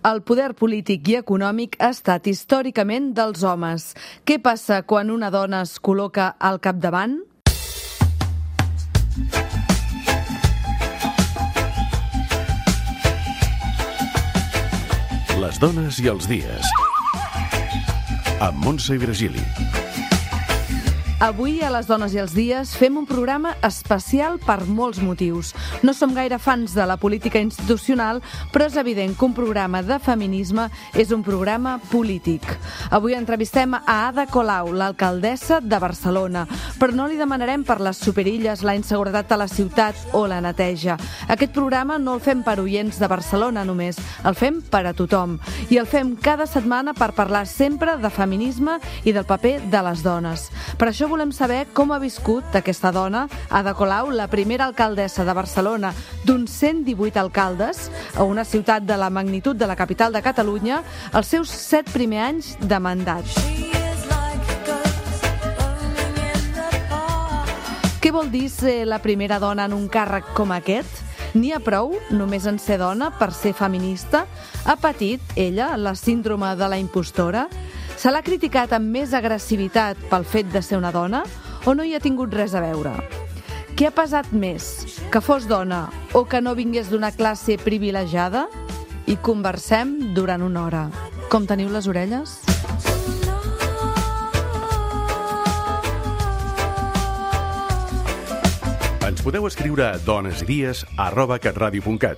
El poder polític i econòmic ha estat històricament dels homes. Què passa quan una dona es col·loca al capdavant? Les dones i els dies. Amb Montse i Virgili. Avui, a Les dones i els dies, fem un programa especial per molts motius. No som gaire fans de la política institucional, però és evident que un programa de feminisme és un programa polític. Avui entrevistem a Ada Colau, l'alcaldessa de Barcelona, però no li demanarem per les superilles, la inseguretat a la ciutat o la neteja. Aquest programa no el fem per oients de Barcelona només, el fem per a tothom. I el fem cada setmana per parlar sempre de feminisme i del paper de les dones. Per això volem saber com ha viscut aquesta dona, Ada Colau, la primera alcaldessa de Barcelona d'uns 118 alcaldes, a una ciutat de la magnitud de la capital de Catalunya, els seus 7 primers anys de mandat. Què vol dir ser la primera dona en un càrrec com aquest? N'hi ha prou, només en ser dona, per ser feminista? Ha patit, ella, la síndrome de la impostora? Se l'ha criticat amb més agressivitat pel fet de ser una dona o no hi ha tingut res a veure? Què ha pesat més, que fos dona o que no vingués d'una classe privilegiada? I conversem durant una hora. Com teniu les orelles? Ens podeu escriure a donesidies@catradio.cat.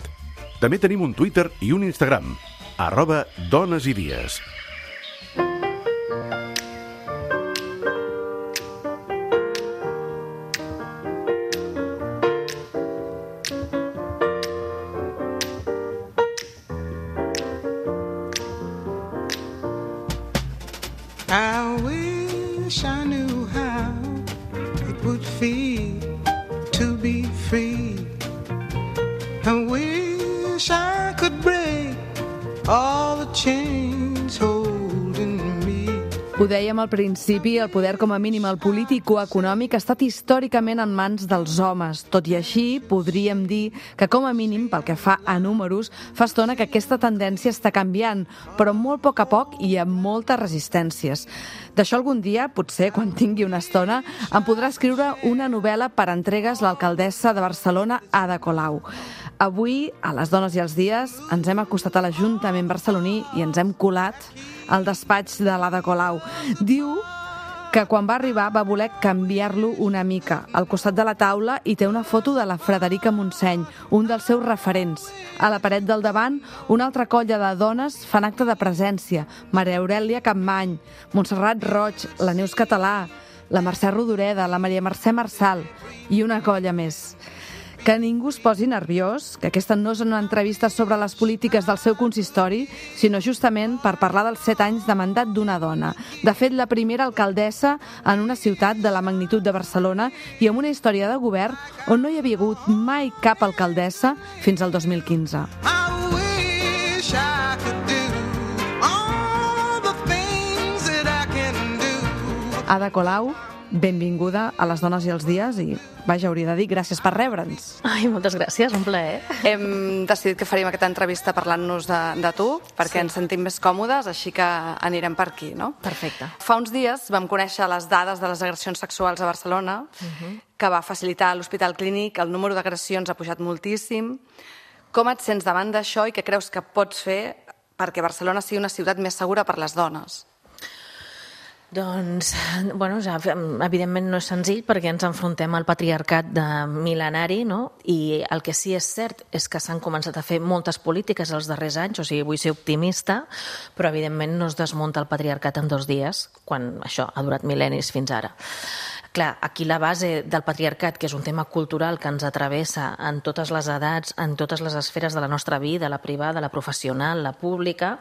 També tenim un Twitter i un Instagram, @donesidies. I wish I knew how it would feel to be free. I wish I could break all the chains holding me. Ho dèiem al principi, el poder com a mínim el polític o econòmic ha estat històricament en mans dels homes. Tot i així, podríem dir que com a mínim, pel que fa a números, fa estona que aquesta tendència està canviant, però molt a poc i amb moltes resistències. D'això algun dia, potser quan tingui una estona, em podrà escriure una novel·la per entregues l'alcaldessa de Barcelona, Ada Colau. Avui, a Les dones i els dies, ens hem acostat a l'Ajuntament barceloní i ens hem colat al despatx de l'Ada Colau. Diu que quan va arribar va voler canviar-lo una mica. Al costat de la taula hi té una foto de la Frederica Montseny, un dels seus referents. A la paret del davant, una altra colla de dones fan acte de presència. Maria Aurèlia Capmany, Montserrat Roig, la Neus Català, la Mercè Rodoreda, la Maria Mercè Marçal i una colla més. Que ningú es posi nerviós, que aquesta no és una entrevista sobre les polítiques del seu consistori, sinó justament per parlar dels 7 anys de mandat d'una dona. De fet, la primera alcaldessa en una ciutat de la magnitud de Barcelona i amb una història de govern on no hi havia hagut mai cap alcaldessa fins al 2015. Ada Colau, benvinguda a Les dones i els dies i, vaja, hauria de dir gràcies per rebre'ns. Ai, moltes gràcies, un plaer. Hem decidit que faríem aquesta entrevista parlant-nos de tu, perquè ens sentim més còmodes, així que anirem per aquí, no? Perfecte. Fa uns dies vam conèixer les dades de les agressions sexuals a Barcelona, que va facilitar l'Hospital Clínic, el número d'agressions ha pujat moltíssim. Com et sents davant d'això i què creus que pots fer perquè Barcelona sigui una ciutat més segura per les dones? Doncs, bueno, ja, evidentment no és senzill perquè ens enfrontem al patriarcat de mil·lenari, no? I el que sí és cert és que s'han començat a fer moltes polítiques els darrers anys, o sigui, vull ser optimista, però evidentment no es desmunta el patriarcat en 2 dies, quan això ha durat mil·lennis fins ara. Clar, aquí la base del patriarcat, que és un tema cultural que ens travessa en totes les edats, en totes les esferes de la nostra vida, la privada, la professional, la pública,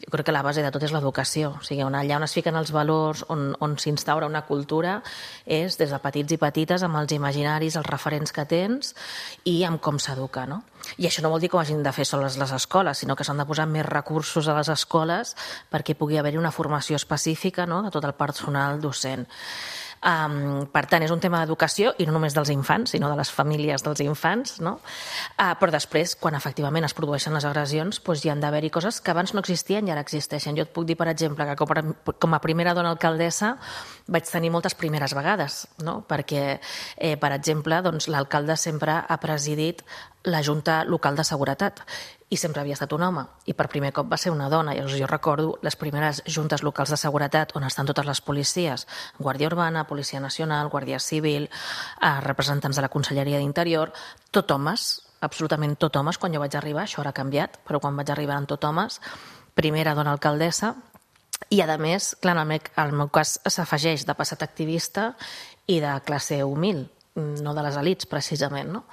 jo crec que la base de tot és l'educació. O sigui, allà on es fiquen els valors, on s'instaura una cultura, és des de petits i petites, amb els imaginaris, els referents que tens i amb com s'educa, no? I això no vol dir que ho hagin de fer soles les escoles, sinó que s'han de posar més recursos a les escoles perquè pugui haver-hi una formació específica, no?, de tot el personal docent. Per tant, és un tema d'educació, i no només dels infants, sinó de les famílies dels infants, no? Però després, quan efectivament es produeixen les agressions, doncs hi han d'haver-hi coses que abans no existien i ara existeixen. Jo et puc dir, per exemple, que com a primera dona alcaldessa vaig tenir moltes primeres vegades, no? Perquè, per exemple, doncs, l'alcalde sempre ha presidit la Junta Local de Seguretat i sempre havia estat un home, i per primer cop va ser una dona. Llavors jo recordo les primeres juntes locals de seguretat on estan totes les policies, Guàrdia Urbana, Policia Nacional, Guàrdia Civil, representants de la Conselleria d'Interior, tot homes, absolutament tot homes. Quan jo vaig arribar, això ara ha canviat, però quan vaig arribar eren tot homes, primera dona alcaldessa, i a més, clar, en el meu cas s'afegeix de passat activista i de classe humil, no de les elits, precisament, no?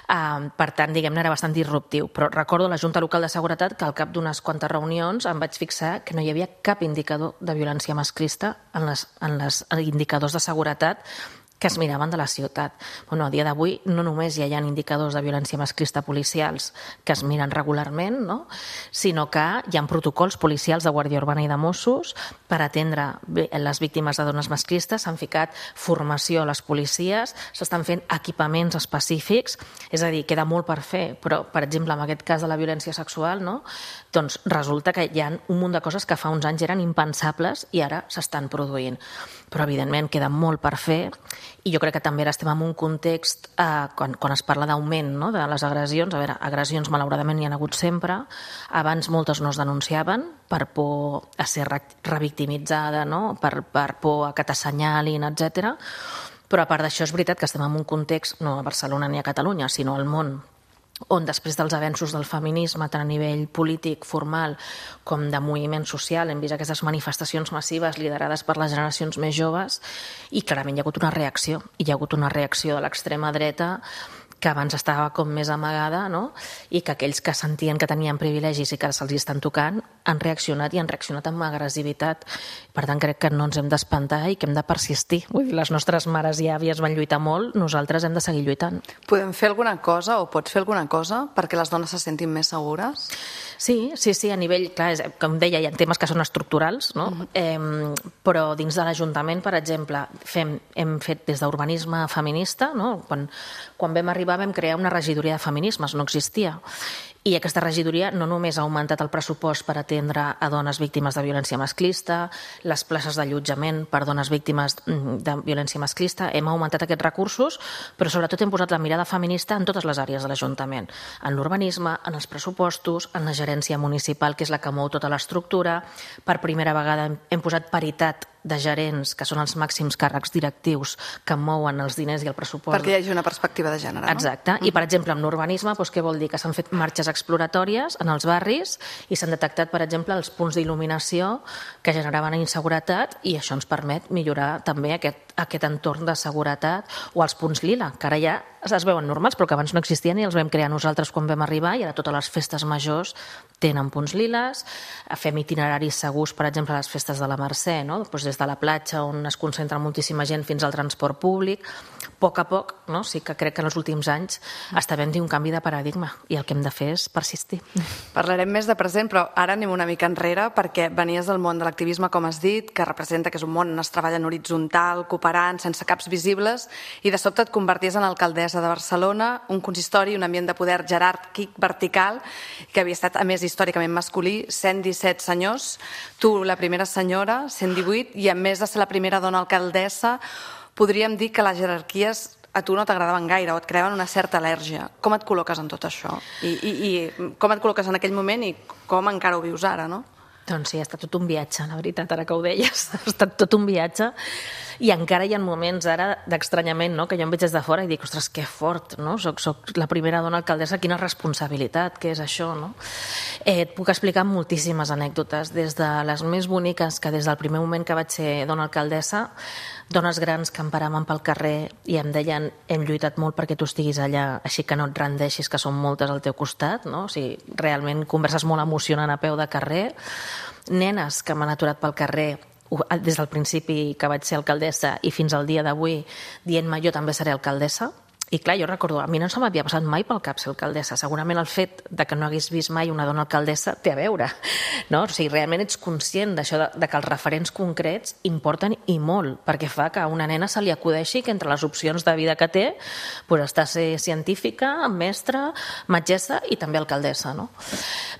Per tant, diguem-ne, era bastant disruptiu. Però recordo la Junta Local de Seguretat que al cap d'unes quantes reunions em vaig fixar que no hi havia cap indicador de violència masclista en les indicadors de seguretat que es miraven de la ciutat. Bueno, a dia d'avui no només hi ha indicadors de violència masclista policials que es miren regularment, no? Sinó que hi ha protocols policials de Guàrdia Urbana i de Mossos per atendre les víctimes de dones masclistes. S'han ficat formació a les policies, s'estan fent equipaments específics, és a dir, queda molt per fer, però, per exemple, en aquest cas de la violència sexual, no? Doncs resulta que hi ha un munt de coses que fa uns anys eren impensables i ara s'estan produint. Però, evidentment, queda molt per fer, i jo crec que també ara estem en un context, quan es parla d'augment, no?, de les agressions. A veure, agressions malauradament hi ha hagut sempre, abans moltes no es denunciaven per por a ser revictimitzada, no?, per por a que t'assenyalin, etc. Però a part d'això és veritat que estem en un context, no a Barcelona ni a Catalunya, sinó al món, on després dels avenços del feminisme, tant a nivell polític, formal, com de moviment social, hem vist aquestes manifestacions massives liderades per les generacions més joves, i clarament hi ha hagut una reacció. Hi ha hagut una reacció de l'extrema dreta que abans estava com més amagada, no? I que aquells que sentien que tenien privilegis i que se'ls estan tocant han reaccionat, i han reaccionat amb agressivitat. Per tant, crec que no ens hem d'espantar i que hem de persistir. Vull dir, les nostres mares i àvies van lluitar molt, nosaltres hem de seguir lluitant. Podem fer alguna cosa, o pots fer alguna cosa, perquè les dones se sentin més segures? Sí, a nivell, clar, com deia, hi ha temes que són estructurals, no? Però dins de l'Ajuntament, per exemple, hem fet des d'urbanisme feminista, no? Quan vam arribar vam crear una regidoria de feminismes, no existia. I aquesta regidoria no només ha augmentat el pressupost per atendre a dones víctimes de violència masclista, les places d'allotjament per dones víctimes de violència masclista, hem augmentat aquests recursos, però sobretot hem posat la mirada feminista en totes les àrees de l'Ajuntament, en l'urbanisme, en els pressupostos, en la gerència municipal, que és la que mou tota l'estructura. Per primera vegada hem posat paritat de gerents, que són els màxims càrrecs directius que mouen els diners i el pressupost. Perquè hi hagi una perspectiva de gènere, no? Exacte. I, per exemple, amb l'urbanisme, què vol dir? Que s'han fet marxes exploratòries en els barris i s'han detectat, per exemple, els punts d'il·luminació que generaven inseguretat, i això ens permet millorar també aquest entorn de seguretat, o els punts lila, que ara ja es veuen normals, però que abans no existien i els vam crear nosaltres quan vam arribar, i ara totes les festes majors tenen punts liles. Fem itineraris segurs, per exemple, a les festes de la Mercè, no? Des de la platja, on es concentra moltíssima gent, fins al transport públic. A poc, no? Sí que crec que en els últims anys està havent-hi un canvi de paradigma, i el que hem de fer és persistir. Parlarem més de present, però ara anem una mica enrere, perquè venies del món de l'activisme, com has dit, que representa que és un món on es treballa en horitzontal, cooperant, sense caps visibles, i de sobte et converties en alcaldessa de Barcelona, un consistori, un ambient de poder jeràrquic vertical, que havia estat, a més, històricament masculí, 117 senyors, tu la primera senyora, 118, i a més de ser la primera dona alcaldessa, podríem dir que les jerarquies a tu no t'agradaven gaire o et creaven una certa al·lèrgia. Com et col·loques en tot això? I com et col·loques en aquell moment i com encara ho vius ara, no? Doncs sí, ha estat tot un viatge, la veritat, ara que ho deies. Ha estat tot un viatge, i encara hi ha moments ara d'estranyament, no?, que jo em veig des de fora i dic, ostres, que fort, no? Soc la primera dona alcaldessa, quina responsabilitat, què és això, no? Et puc explicar moltíssimes anècdotes, des de les més boniques, que des del primer moment que vaig ser dona alcaldessa, dones grans que em paraven pel carrer i em deien, hem lluitat molt perquè tu estiguis allà, així que no et rendeixis, que són moltes al teu costat, no? O sigui, realment converses molt emocionant a peu de carrer. Nenes que m'han aturat pel carrer des del principi que vaig ser alcaldessa i fins al dia d'avui dient-me, jo també seré alcaldessa. I clar, jo recordo, a mi no se m'havia passat mai pel cap ser alcaldessa. Segurament el fet de que no hagués vist mai una dona alcaldessa té a veure, no? O sigui, realment ets conscient d'això, de que els referents concrets importen i molt, perquè fa que a una nena se li acudeixi que entre les opcions de vida que té està ser científica, mestra, metgessa i també alcaldessa, no?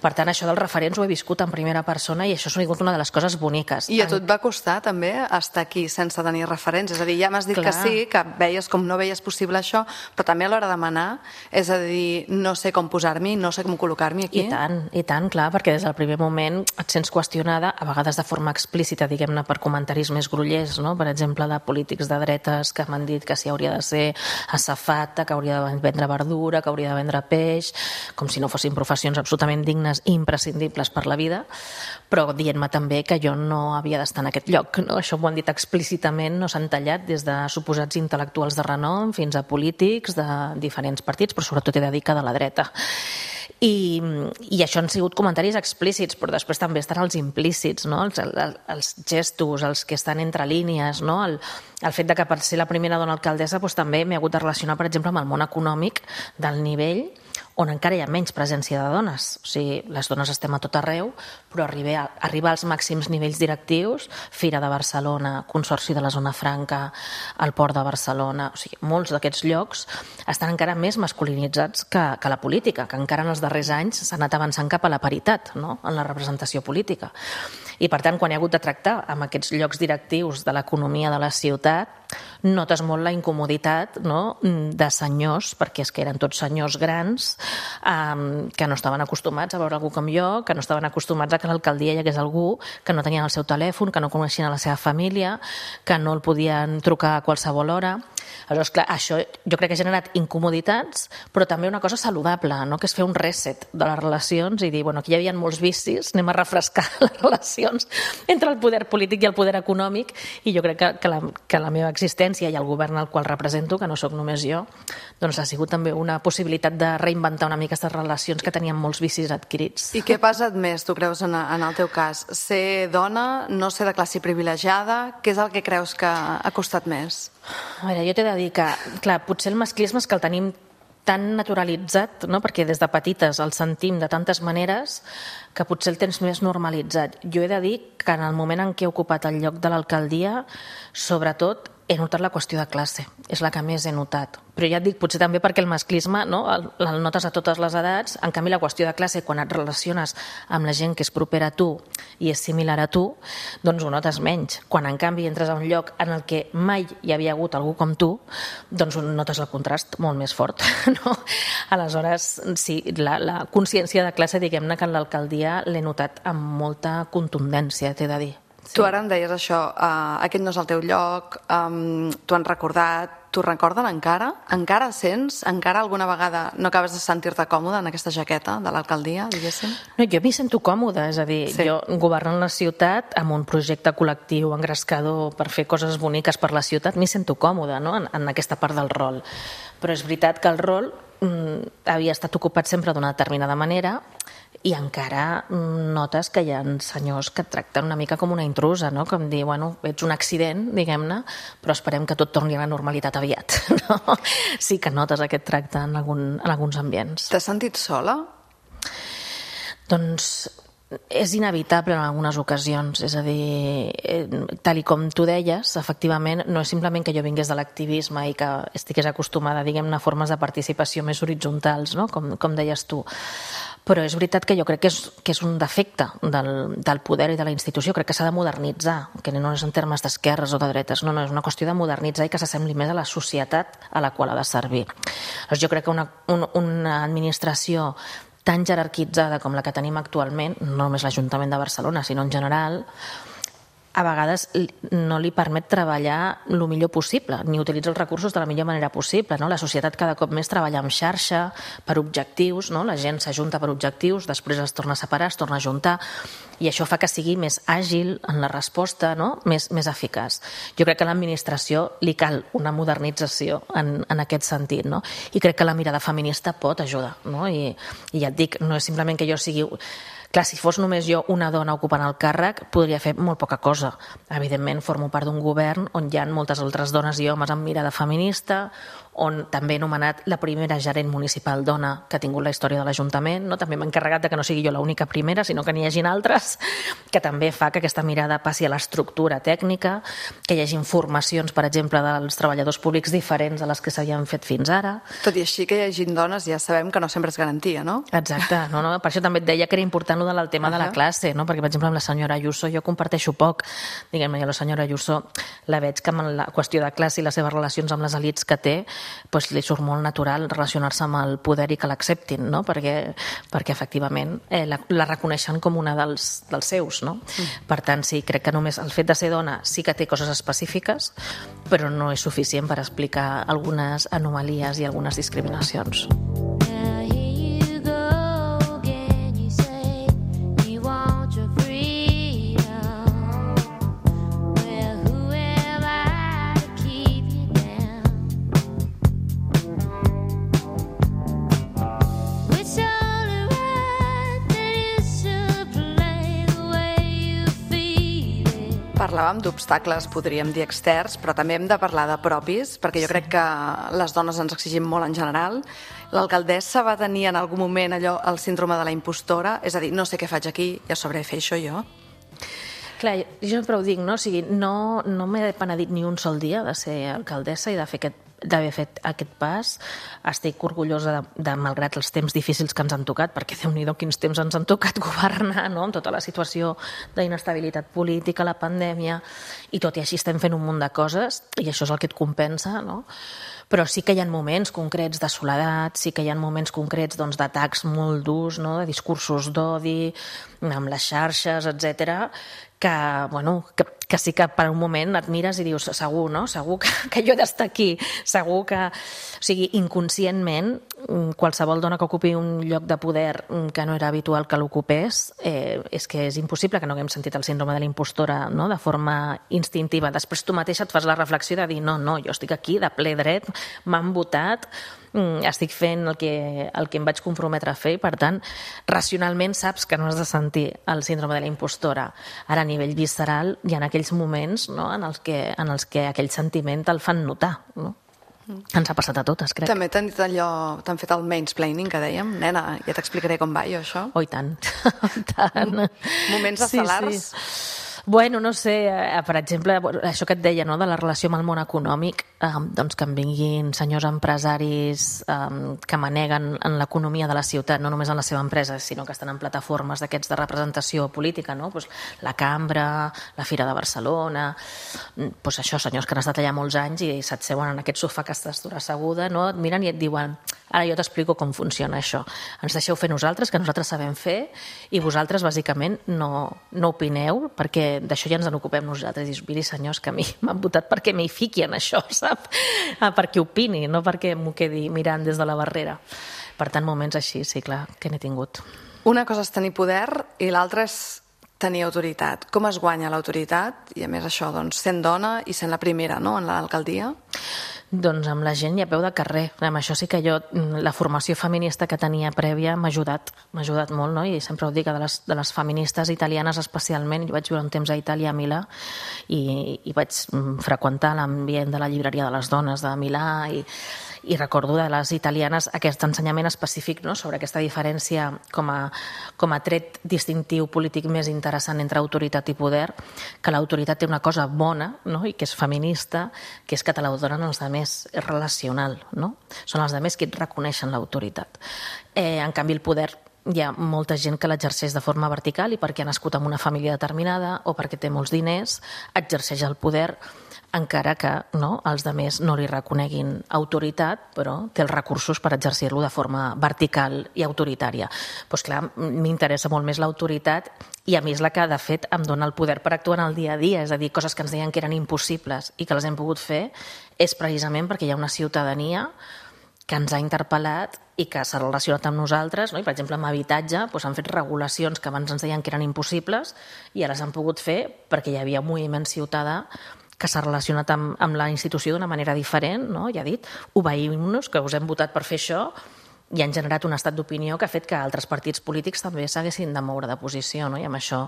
Per tant, això dels referents ho he viscut en primera persona i això ha sigut una de les coses boniques. I a tu et va costar també estar aquí sense tenir referents? És a dir, ja m'has dit que sí, que veies com no veies possible això, però també a l'hora de manar, és a dir, no sé com posar-m'hi, no sé com col·locar-m'hi aquí. I tant, clar, perquè des del primer moment et sents qüestionada, a vegades de forma explícita, diguem-ne, per comentaris més grollers, no? Per exemple, de polítics de dretes que m'han dit que si hauria de ser assafata, que hauria de vendre verdura, que hauria de vendre peix, com si no fossin professions absolutament dignes i imprescindibles per la vida, però dient-me també que jo no havia d'estar en aquest lloc, no? Això m'ho han dit explícitament, no s'han tallat des de suposats intel·lectuals de renom fins a polítics de diferents partits, però sobretot he de dir que de la dreta. I això han sigut comentaris explícits, però després també estan els implícits, no? Els gestos, els que estan entre línies, no? El fet de que per ser la primera dona alcaldessa també m'he hagut de relacionar, per exemple, amb el món econòmic del nivell on encara hi ha menys presència de dones. O sigui, les dones estem a tot arreu, però arribar als màxims nivells directius, Fira de Barcelona, Consorci de la Zona Franca, el Port de Barcelona, o sigui, molts d'aquests llocs estan encara més masculinitzats que la política, que encara en els darrers anys s'ha anat avançant cap a la paritat, no?, en la representació política. I, per tant, quan he hagut de tractar amb aquests llocs directius de l'economia de la ciutat, notes molt la incomoditat, no?, de senyors, perquè és que eren tots senyors grans, que no estaven acostumats a veure algú com jo, que no estaven acostumats a que a l'alcaldia hi hagués algú que no tenien el seu telèfon, que no coneixien a la seva família, que no el podien trucar a qualsevol hora. Aleshores, clar, això jo crec que ha generat incomoditats, però també una cosa saludable, no?, que és fer un reset de les relacions i dir, bueno, aquí hi havia molts vicis, anem a refrescar les relacions entre el poder polític i el poder econòmic, i jo crec que la meva existència i el govern al qual represento, que no sóc només jo, doncs ha sigut també una possibilitat de reinventar una mica aquestes relacions que tenien molts vicis adquirits. I què ha passat més, tu creus, en el teu cas? Ser dona, no ser de classe privilegiada? Què és el que creus que ha costat més? A veure, jo t'he de dir que, clar, potser el masclisme és que el tenim tan naturalitzat, no?, perquè des de petites el sentim de tantes maneres que potser el tens més normalitzat. Jo he de dir que en el moment en què he ocupat el lloc de l'alcaldia, sobretot he notat la qüestió de classe, és la que més he notat. Però ja et dic, potser també perquè el masclisme, no?, el notes a totes les edats, en canvi la qüestió de classe, quan et relaciones amb la gent que és propera a tu i és similar a tu, doncs ho notes menys. Quan en canvi entres a un lloc en el que mai hi havia hagut algú com tu, doncs notes el contrast molt més fort, no? Aleshores, sí, la consciència de classe, diguem-ne, que en l'alcaldia l'he notat amb molta contundència, t'he de dir. Sí. Tu ara em deies això, aquest no és el teu lloc, t'ho han recordat, t'ho recorden encara? Encara sents? Encara alguna vegada no acabes de sentir-te còmode en aquesta jaqueta de l'alcaldia, diguéssim? No, jo m'hi sento còmoda, és a dir, sí. Jo governo la ciutat amb un projecte col·lectiu engrescador per fer coses boniques per la ciutat, m'hi sento còmoda, no?, en aquesta part del rol. Però és veritat que el rol havia estat ocupat sempre d'una determinada manera i encara notes que hi ha senyors que et tracten una mica com una intrusa, no?, com dir, bueno, ets un accident, diguem-ne, però esperem que tot torni a la normalitat aviat, no? Sí que notes aquest tracte en alguns ambients. T'has sentit sola? Doncs és inevitable en algunes ocasions, és a dir, tal i com tu deies, efectivament, no és simplement que jo vingués de l'activisme i que estigués acostumada, diguem-ne, a formes de participació més horitzontals, no?, com deies tu, però és veritat que jo crec que és un defecte del poder i de la institució, crec que s'ha de modernitzar, que no és en termes d'esquerres o de dretes, no, és una qüestió de modernitzar i que s'assembli més a la societat a la qual ha de servir. Doncs jo crec que una administració tan jerarquitzada com la que tenim actualment, no només l'Ajuntament de Barcelona, sinó en general, a vegades no li permet treballar el millor possible, ni utilitzar els recursos de la millor manera possible, no? La societat cada cop més treballa en xarxa, per objectius, no? La gent s'ajunta per objectius, després es torna a separar, es torna a ajuntar, i això fa que sigui més àgil en la resposta, no?, més eficaç. Jo crec que a l'administració li cal una modernització en aquest sentit, no? I crec que la mirada feminista pot ajudar, no? I ja et dic, no és simplement que jo sigui... Clar, si fos només jo una dona ocupant el càrrec, podria fer molt poca cosa. Evidentment, formo part d'un govern on hi ha moltes altres dones i homes amb mirada feminista, on també he nomenat la primera gerent municipal dona que ha tingut la història de l'Ajuntament, no? També m'he encarregat de que no sigui jo l'única primera, sinó que n'hi hagin altres, que també fa que aquesta mirada passi a l'estructura tècnica, que hi hagi informacions, per exemple, dels treballadors públics diferents a les que s'havien fet fins ara. Tot i així que hi hagin dones, ja sabem que no sempre és garantia, no? Exacte, per això també et deia que era important el del tema de la classe, no? Perquè, per exemple, amb la senyora Ayuso jo comparteixo poc, diguem-ne, la senyora Ayuso la veig que amb la qüestió de classe i les seves relacions amb les elits que té, doncs li surt molt natural relacionar-se amb el poder i que l'acceptin, no? Perquè efectivament la reconeixen com una dels seus, no? Per tant, sí, crec que només el fet de ser dona sí que té coses específiques, però no és suficient per explicar algunes anomalies i algunes discriminacions. Parlàvem d'obstacles, podríem dir externs, però també hem de parlar de propis, perquè jo crec que les dones ens exigim molt en general. L'alcaldessa va tenir en algun moment allò, el síndrome de la impostora, és a dir, no sé què faig aquí, ja sabré fer això jo. Clar, jo sempre ho dic, no? O sigui, no m'he penedit ni un sol dia de ser alcaldessa i d'haver fet aquest pas. Estic orgullosa de, malgrat els temps difícils que ens han tocat, perquè Déu-n'hi-do quins temps ens han tocat governar, no? Amb tota la situació d'inestabilitat política, la pandèmia, i tot i així estem fent un munt de coses, i això és el que et compensa, no? Però sí que hi ha moments concrets de soledat, sí que hi ha moments concrets d'atacs molt durs, no? De discursos d'odi, amb les xarxes, etc. Que sí que per un moment et mires i dius segur, no? Segur que jo he d'estar aquí, segur que... O sigui, inconscientment, qualsevol dona que ocupi un lloc de poder que no era habitual que l'ocupés, és que és impossible que no haguem sentit el síndrome de la impostora, no? De forma instintiva. Després tu mateixa et fas la reflexió de dir no, jo estic aquí de ple dret, m'han votat, estic fent el que em vaig comprometre a fer i, per tant, racionalment saps que no has de sentir el síndrome de la impostora. Ara, a nivell visceral, hi ha aquells moments, no?, en els que aquell sentiment te'l fan notar, no? Ens ha passat a totes, crec. També t'han dit allò, t'han fet el mansplaining que dèiem, nena, ja t'explicaré com va jo, això. Oh, i tant. Moments estel·lars. Sí. Bueno, no sé, per exemple, això que et deia, no?, de la relació amb el món econòmic, doncs que em vinguin senyors empresaris que maneguen en l'economia de la ciutat, no només en la seva empresa, sinó que estan en plataformes d'aquests de representació política, no? Pues la Cambra, la Fira de Barcelona, pues això, senyors que han estat allà molts anys i se't seuen en aquest sofà que estàs dura asseguda, no? Et miren i et diuen, ara jo t'explico com funciona això. Ens deixeu fer nosaltres, que nosaltres sabem fer, i vosaltres, bàsicament, no opineu, perquè d'això ja ens en ocupem nosaltres. I dius, miri, senyors, que a mi m'han votat perquè m'hi fiqui en això, sap? Perquè opini, no perquè m'ho quedi mirant des de la barrera. Per tant, moments així, sí, clar, que n'he tingut. Una cosa és tenir poder i l'altra és tenir autoritat. Com es guanya l'autoritat? I a més això, doncs, sent dona i sent la primera, no?, en l'alcaldia? Doncs amb la gent i a peu de carrer. Amb això sí que jo, la formació feminista que tenia prèvia m'ha ajudat molt, no? I sempre ho dic, de les feministes italianes especialment. Jo vaig viure un temps a Itàlia, a Milà, i vaig freqüentar l'ambient de la llibreria de les dones de Milà, i recordo de les italianes aquest ensenyament específic, no?, sobre aquesta diferència com a tret distintiu polític més interessant entre autoritat i poder, que l'autoritat té una cosa bona, no?, i que és feminista, que és que te la donen els altres, és relacional, no? Són els altres qui et reconeixen l'autoritat. En canvi, el poder, hi ha molta gent que l'exerceix de forma vertical i perquè ha nascut en una família determinada o perquè té molts diners, exerceix el poder encara que els altres no li reconeguin autoritat, però té els recursos per exercir-lo de forma vertical i autoritària. Doncs clar, m'interessa molt més l'autoritat i a mi és la que, de fet, em dona el poder per actuar en el dia a dia, és a dir, coses que ens deien que eren impossibles i que les hem pogut fer, és precisament perquè hi ha una ciutadania que ens ha interpel·lat i que s'ha relacionat amb nosaltres, no? I, per exemple, amb habitatge han fet regulacions que abans ens deien que eren impossibles i ara s'han pogut fer perquè hi havia un moviment ciutadà que s'ha relacionat amb la institució d'una manera diferent, no? Ja ha dit, obeïm-nos, que us hem votat per fer això, i han generat un estat d'opinió que ha fet que altres partits polítics també s'haguessin de moure de posició, no? I amb això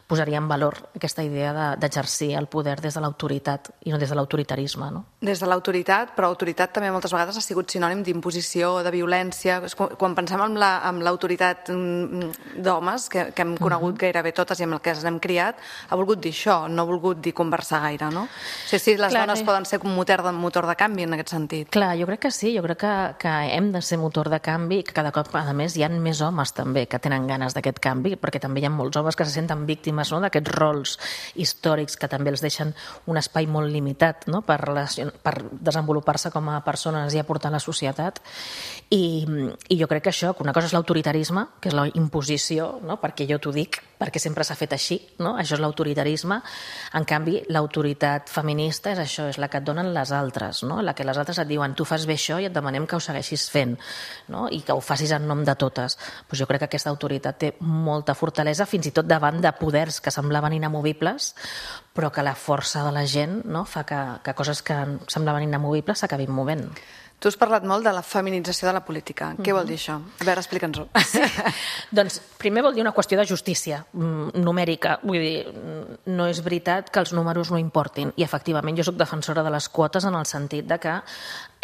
posaria en valor aquesta idea d'exercir el poder des de l'autoritat i no des de l'autoritarisme. No? Des de l'autoritat, però autoritat també moltes vegades ha sigut sinònim d'imposició, de violència. Quan pensem en l'autoritat d'homes, que hem conegut gairebé totes i amb el que ens hem criat, ha volgut dir això, no ha volgut dir conversar gaire, no? O sigui, si les dones poden ser un motor de canvi en aquest sentit. Clar, jo crec que sí, jo crec que hem de ser motor de canvi i que cada cop, a més, hi ha més homes també que tenen ganes d'aquest canvi, perquè també hi ha molts homes que se senten víctimes, no?, d'aquests rols històrics que també els deixen un espai molt limitat, no?, per desenvolupar-se com a persones i aportar a la societat. I jo crec que això, que una cosa és l'autoritarisme, que és la imposició, no?, perquè jo t'ho dic, perquè sempre s'ha fet així, no? Això és l'autoritarisme. En canvi, l'autoritat feminista és això, és la que et donen les altres, no? La que les altres et diuen, tu fas bé això i et demanem que ho segueixis fent, no? I que ho facis en nom de totes. Pues jo crec que aquesta autoritat té molta fortalesa, fins i tot davant de poders que semblaven inamovibles, però que la força de la gent, no?, fa que coses que semblaven inamovibles s'acabin movent. Tu has parlat molt de la feminització de la política. Què vol dir això? A veure, explica'ns-ho. Sí. Doncs primer vol dir una qüestió de justícia numèrica. Vull dir, no és veritat que els números no importin. I efectivament jo soc defensora de les quotes en el sentit de que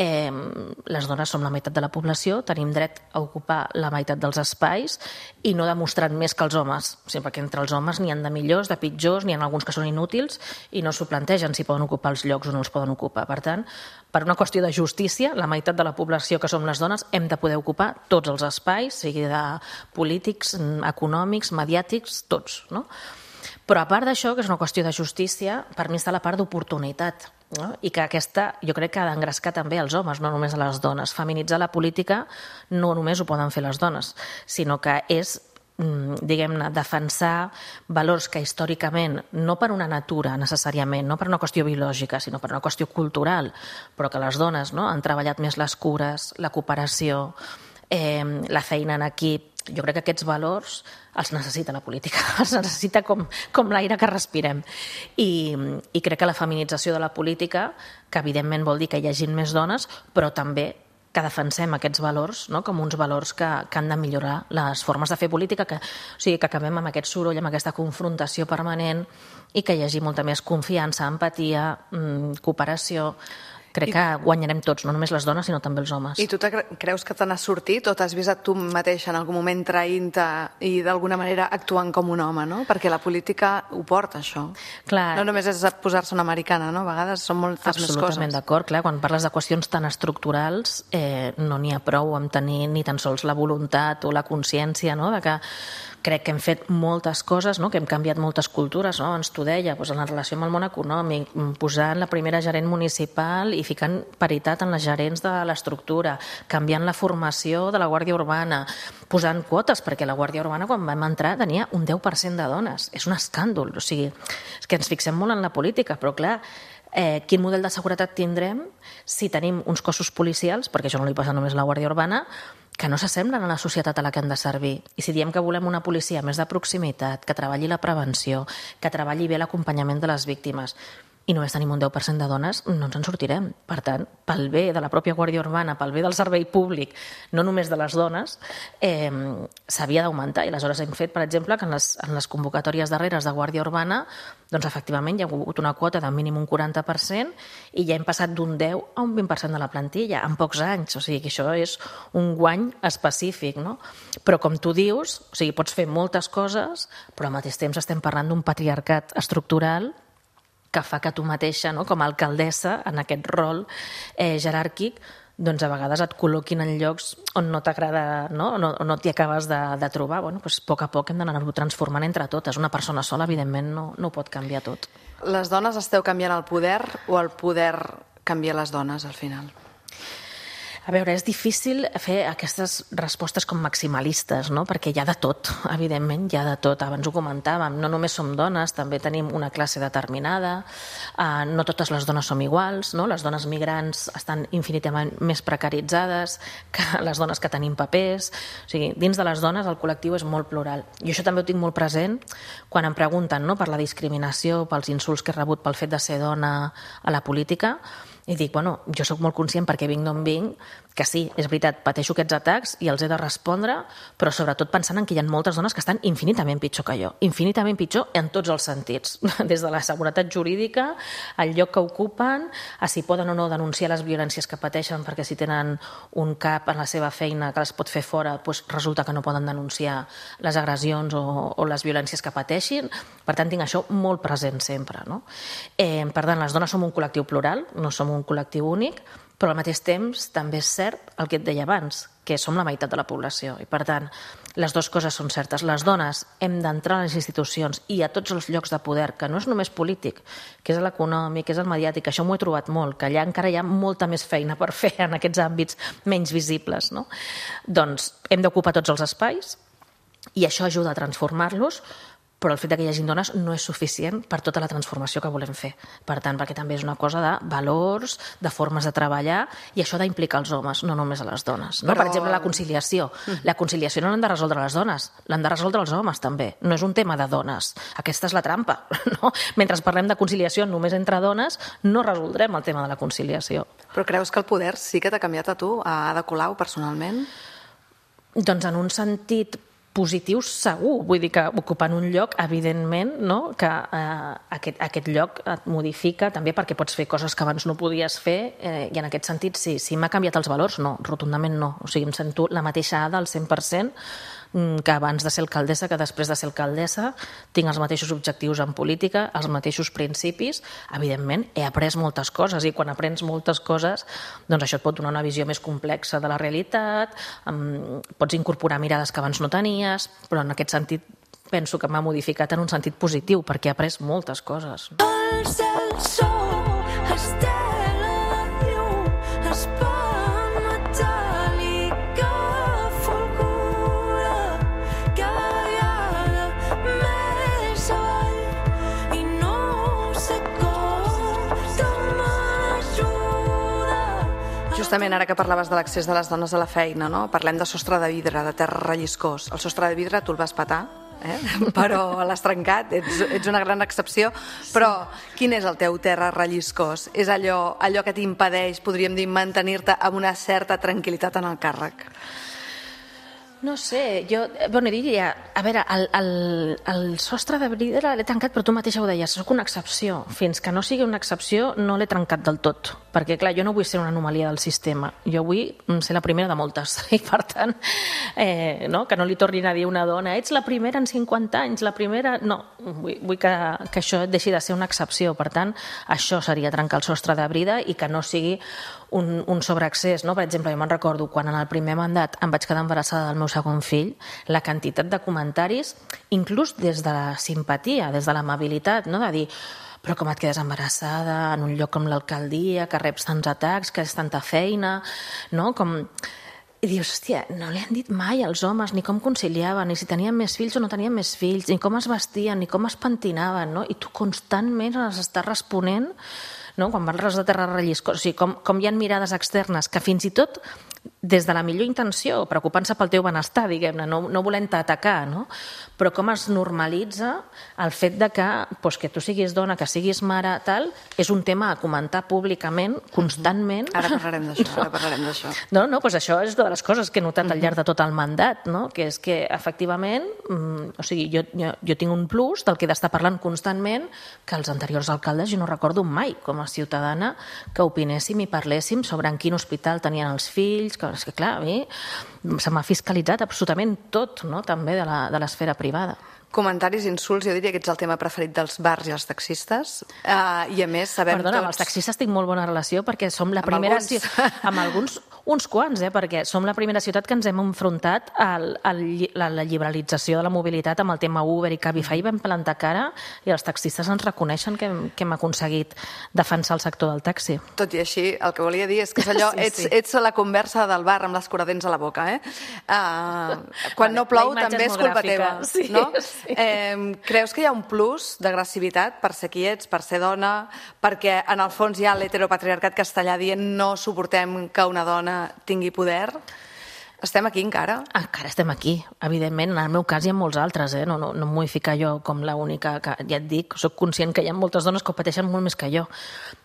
les dones som la meitat de la població, tenim dret a ocupar la meitat dels espais i no demostrant més que els homes. O sigui, perquè entre els homes n'hi ha de millors, de pitjors, n'hi ha alguns que són inútils i no s'ho plantegen si poden ocupar els llocs o no els poden ocupar. Per tant, per una qüestió de justícia, la meitat de la població que som les dones hem de poder ocupar tots els espais, sigui de polítics, econòmics, mediàtics, tots, no? Però a part d'això, que és una qüestió de justícia, per mi està la part d'oportunitat, no? I que aquesta, jo crec que ha d'engrescar també als homes, no només a les dones. Feminitzar la política no només ho poden fer les dones, sinó que és, diguem-ne, defensar valors que històricament, no per una natura necessàriament, no per una qüestió biològica, sinó per una qüestió cultural, però que les dones, no?, han treballat més les cures, la cooperació, la feina en equip. Jo crec que aquests valors els necessita la política, els necessita com l'aire que respirem. I crec que la feminització de la política, que evidentment vol dir que hi hagin més dones, però també que defensem aquests valors, no?, com uns valors que han de millorar les formes de fer política, o sigui, que acabem amb aquest soroll, amb aquesta confrontació permanent i que hi hagi molta més confiança, empatia, cooperació. Crec que guanyarem tots, no només les dones, sinó també els homes. I tu creus que te n'has sortit o t'has vist a tu mateixa en algun moment traint-te i d'alguna manera actuant com un home, no? Perquè la política ho porta, això. Clar. No només és posar-se una americana, no? A vegades són moltes més coses. Absolutament d'acord, clar. Quan parles de qüestions tan estructurals no n'hi ha prou amb tenir ni tan sols la voluntat o la consciència, no?, de que crec que hem fet moltes coses, no?, que hem canviat moltes cultures, no? Ens t'ho deia, doncs, en la relació amb el món econòmic, posant la primera gerent municipal i ficant paritat en les gerents de l'estructura, canviant la formació de la Guàrdia Urbana, posant quotes, perquè la Guàrdia Urbana quan vam entrar tenia un 10% de dones. És un escàndol, o sigui, és que ens fixem molt en la política, però clar, quin model de seguretat tindrem si tenim uns cossos policials, perquè això no li passa només a la Guàrdia Urbana, que no s'assemblen a la societat a la que han de servir. I si diem que volem una policia més de proximitat, que treballi la prevenció, que treballi bé l'acompanyament de les víctimes, i només tenim un 10% de dones, no ens en sortirem. Per tant, pel bé de la pròpia Guàrdia Urbana, pel bé del servei públic, no només de les dones, s'havia d'augmentar. I aleshores hem fet, per exemple, que en les convocatòries darreres de Guàrdia Urbana, doncs efectivament hi ha hagut una quota de mínim un 40% i ja hem passat d'un 10 a un 20% de la plantilla en pocs anys. O sigui que això és un guany específic, no? Però com tu dius, o sigui, pots fer moltes coses, però al mateix temps estem parlant d'un patriarcat estructural que fa que tu mateixa, no?, com a alcaldessa, en aquest rol jeràrquic, doncs a vegades et col·loquin en llocs on no t'agrada, no? O no t'hi acabes de trobar. Bueno, doncs a poc hem d'anar-ho transformant entre totes. Una persona sola, evidentment, no ho pot canviar tot. Les dones esteu canviant el poder o el poder canvia les dones al final? A veure, és difícil fer aquestes respostes com maximalistes, no? Perquè hi ha de tot, evidentment, hi ha de tot. Abans ho comentàvem, no només som dones, també tenim una classe determinada, no totes les dones som iguals, no? Les dones migrants estan infinitament més precaritzades que les dones que tenim papers. O sigui, dins de les dones el col·lectiu és molt plural. I això també ho tinc molt present quan em pregunten, no?, per la discriminació, pels insults que he rebut pel fet de ser dona a la política. I dic, bueno, jo sóc molt conscient perquè vinc d'on vinc, que sí, és veritat, pateixo aquests atacs i els he de respondre, però sobretot pensant en que hi ha moltes dones que estan infinitament pitjor que jo, infinitament pitjor en tots els sentits, des de la seguretat jurídica, el lloc que ocupen, a si poden o no denunciar les violències que pateixen, perquè si tenen un cap en la seva feina que les pot fer fora, doncs resulta que no poden denunciar les agressions o les violències que pateixin. Per tant, tinc això molt present sempre, no? Per tant, les dones som un col·lectiu plural, no som un col·lectiu únic, però al mateix temps també és cert el que et deia abans, que som la meitat de la població. I per tant, les dues coses són certes. Les dones hem d'entrar a les institucions i a tots els llocs de poder, que no és només polític, que és l'econòmic, que és el mediàtic, això m'ho he trobat molt, que allà encara hi ha molta més feina per fer en aquests àmbits menys visibles, no? Doncs hem d'ocupar tots els espais i això ajuda a transformar-los, però el fet que hi hagi dones no és suficient per tota la transformació que volem fer. Per tant, perquè també és una cosa de valors, de formes de treballar, i això d'implicar els homes, no només a les dones. No? Per exemple, la conciliació. La conciliació no l'han de resoldre les dones, l'han de resoldre els homes també. No és un tema de dones. Aquesta és la trampa. No? Mentre parlem de conciliació només entre dones, no resoldrem el tema de la conciliació. Però creus que el poder sí que t'ha canviat a tu, a Ada Colau, personalment? Doncs en un sentit positiu segur, vull dir que ocupant un lloc, evidentment, no? Que aquest lloc et modifica també perquè pots fer coses que abans no podies fer i en aquest sentit sí. Si m'ha canviat els valors, no, rotundament no. O sigui, em sento la mateixa Ada al 100% que abans de ser alcaldessa, que després de ser alcaldessa, tinc els mateixos objectius en política, els mateixos principis. Evidentment, he après moltes coses i quan aprens moltes coses, doncs això et pot donar una visió més complexa de la realitat, pots incorporar mirades que abans no tenies, però en aquest sentit penso que m'ha modificat en un sentit positiu, perquè he après moltes coses. Justament ara que parlaves de l'accés de les dones a la feina, no? Parlem de sostre de vidre, de terra relliscós. El sostre de vidre tu el vas petar, però l'has trencat, ets una gran excepció, però quin és el teu terra relliscós? És allò que t'impedeix, podríem dir, mantenir-te amb una certa tranquil·litat en el càrrec? No sé, jo diria, a veure, el sostre de vidre l'he trencat, però tu mateixa ho deies, soc una excepció. Fins que no sigui una excepció no l'he trencat del tot, perquè clar, jo no vull ser una anomalia del sistema, jo vull ser la primera de moltes, i per tant, que no li tornin a dir a una dona, ets la primera en 50 anys, la primera... No, vull que això deixi de ser una excepció, per tant, això seria trencar el sostre de vidre i que no sigui un sobreaccés, no? Per exemple, jo me'n recordo quan en el primer mandat em vaig quedar embarassada del meu segon fill, la quantitat de comentaris, inclús des de la simpatia, des de l'amabilitat, no? De dir, però com et quedes embarassada en un lloc com l'alcaldia, que reps tants atacs, que és tanta feina, no? I dius, hòstia, no li han dit mai als homes ni com conciliaven, ni si tenien més fills o no tenien més fills, ni com es vestien, ni com es pentinaven, no? I tu constantment les estàs responent, no? Quan parles de terra relliscós, o sigui, com hi ha mirades externes que fins i tot des de la millor intenció, preocupant-se pel teu benestar, diguem-ne, no volent-te atacar, no? Però com es normalitza el fet de que tu siguis dona, que siguis mare, tal, és un tema a comentar públicament, constantment. Ara parlarem d'això. No, doncs això és una de les coses que he notat al llarg de tot el mandat, no? Que és que, efectivament, o sigui, jo tinc un plus del que he d'estar parlant constantment que els anteriors alcaldes jo no recordo mai, com a ciutadana, que opinéssim i parléssim sobre en quin hospital tenien els fills, que és que clar, a mi se m'ha fiscalitzat absolutament tot, no? També de l'esfera privada. Comentaris, insults, jo diria que ets el tema preferit dels bars i els taxistes, i a més sabem tots... Perdona, amb els taxistes tinc molt bona relació perquè som la primera... Amb alguns, uns quants, perquè som la primera ciutat que ens hem enfrontat a la liberalització de la mobilitat amb el tema Uber i Cabify, vam plantar cara i els taxistes ens reconeixen que hem aconseguit defensar el sector del taxi. Tot i així, el que volia dir és que és allò, ets la conversa del bar amb l'escuradents a la boca, Quan no plou també és culpa teva, no? Sí. Creus que hi ha un plus d'agressivitat per ser qui ets, per ser dona, perquè en el fons hi ha l'heteropatriarcat castellà dient no suportem que una dona tingui poder? Estem aquí encara? Encara estem aquí, evidentment. En el meu cas hi ha molts altres, no em vull ficar jo com l'única que, ja et dic, soc conscient que hi ha moltes dones que ho pateixen molt més que jo,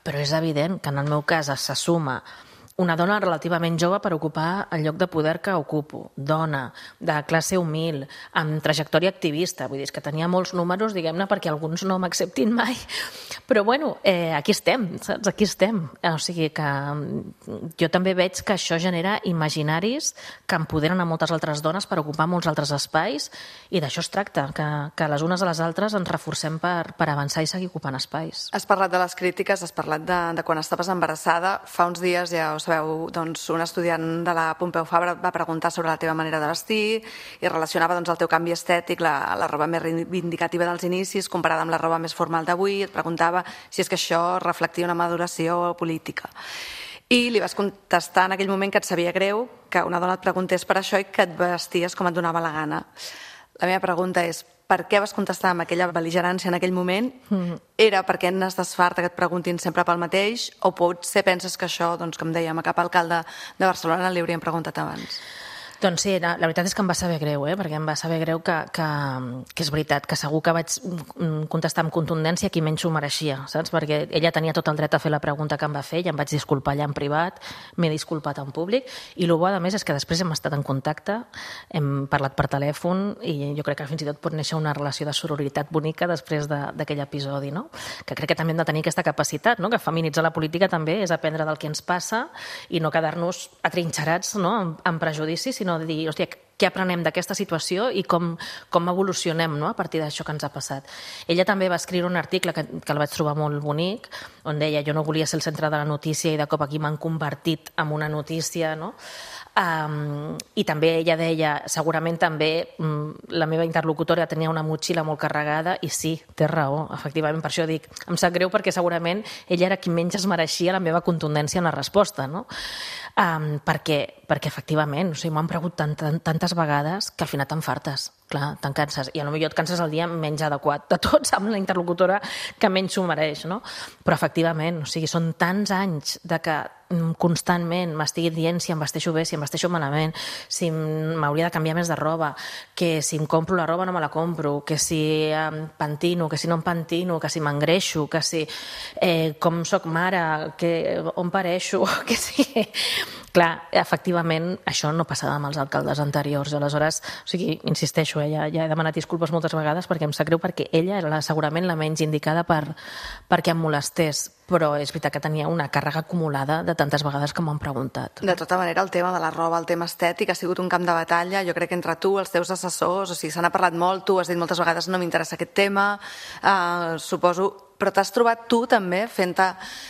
però és evident que en el meu cas se suma una dona relativament jove per ocupar el lloc de poder que ocupo, dona, de classe humil, amb trajectòria activista, vull dir, que tenia molts números, diguem-ne, perquè alguns no m'acceptin mai, però bueno, aquí estem, saps? Aquí estem. O sigui que jo també veig que això genera imaginaris que empoderen a moltes altres dones per ocupar molts altres espais, i d'això es tracta, que les unes a les altres ens reforcem per avançar i seguir ocupant espais. Has parlat de les crítiques, has parlat de quan estaves embarassada. Fa uns dies, ja ho sabeu, doncs, un estudiant de la Pompeu Fabra va preguntar sobre la teva manera de vestir i relacionava doncs, el teu canvi estètic, la roba més reivindicativa dels inicis comparada amb la roba més formal d'avui. Et preguntava si és que això reflectia una maduració política. I li vas contestar en aquell moment que et sabia greu que una dona et preguntés per això i que et vesties com et donava la gana. La meva pregunta és: per què vas contestar amb aquella bel·ligerància en aquell moment? Era perquè n'estàs farta que et preguntin sempre pel mateix, o potser penses que això, doncs, com dèiem, a cap alcalde de Barcelona li haurien preguntat abans? Doncs sí, la veritat és que em va saber greu, perquè em va saber greu que és veritat, que segur que vaig contestar amb contundència qui menys ho mereixia, saps? Perquè ella tenia tot el dret a fer la pregunta que em va fer, i em vaig disculpar allà en privat, m'he disculpat en públic, i el bo, a més, és que després hem estat en contacte, hem parlat per telèfon, i jo crec que fins i tot pot néixer una relació de sororitat bonica després d'aquell episodi, no? Que crec que també hem de tenir aquesta capacitat, no? Que feminitzar la política també és aprendre del que ens passa i no quedar-nos atrinxerats, no? en prejudicis, sinó de dir, hòstia, què aprenem d'aquesta situació i com evolucionem, no? A partir d'això que ens ha passat. Ella també va escriure un article que el vaig trobar molt bonic, on deia: jo no volia ser el centre de la notícia i de cop aquí m'han convertit en una notícia, no? I també ella deia, segurament també la meva interlocutora tenia una motxilla molt carregada, i sí, té raó, efectivament, per això dic, em sap greu perquè segurament ella era qui menys es mereixia la meva contundència en la resposta, no? Perquè efectivament, o sigui, m'han preguntat tantes vegades que al final t'enfartes, clar, te'n canses, i potser et canses el dia menys adequat de tots, amb la interlocutora que menys s'ho mereix, no? Però efectivament, o sigui, són tants anys de que constantment m'estiguin dient si em vesteixo bé, si em vesteixo malament, si m'hauria de canviar més de roba, que si em compro la roba no me la compro, que si em pentino, que si no em pentino, que si m'engreixo, que si com soc mare, on pareixo, que si... Clar, efectivament, això no passava amb els alcaldes anteriors. Aleshores, o sigui, insisteixo, ja he demanat disculpes moltes vegades perquè em sap greu, perquè ella era segurament la menys indicada perquè em molestés, però és veritat que tenia una càrrega acumulada de tantes vegades que m'han preguntat. De tota manera, el tema de la roba, el tema estètic, ha sigut un camp de batalla, jo crec que entre tu, els teus assessors, o sigui, se n'ha parlat molt, tu has dit moltes vegades no m'interessa aquest tema, suposo... Però t'has trobat tu també fent-te,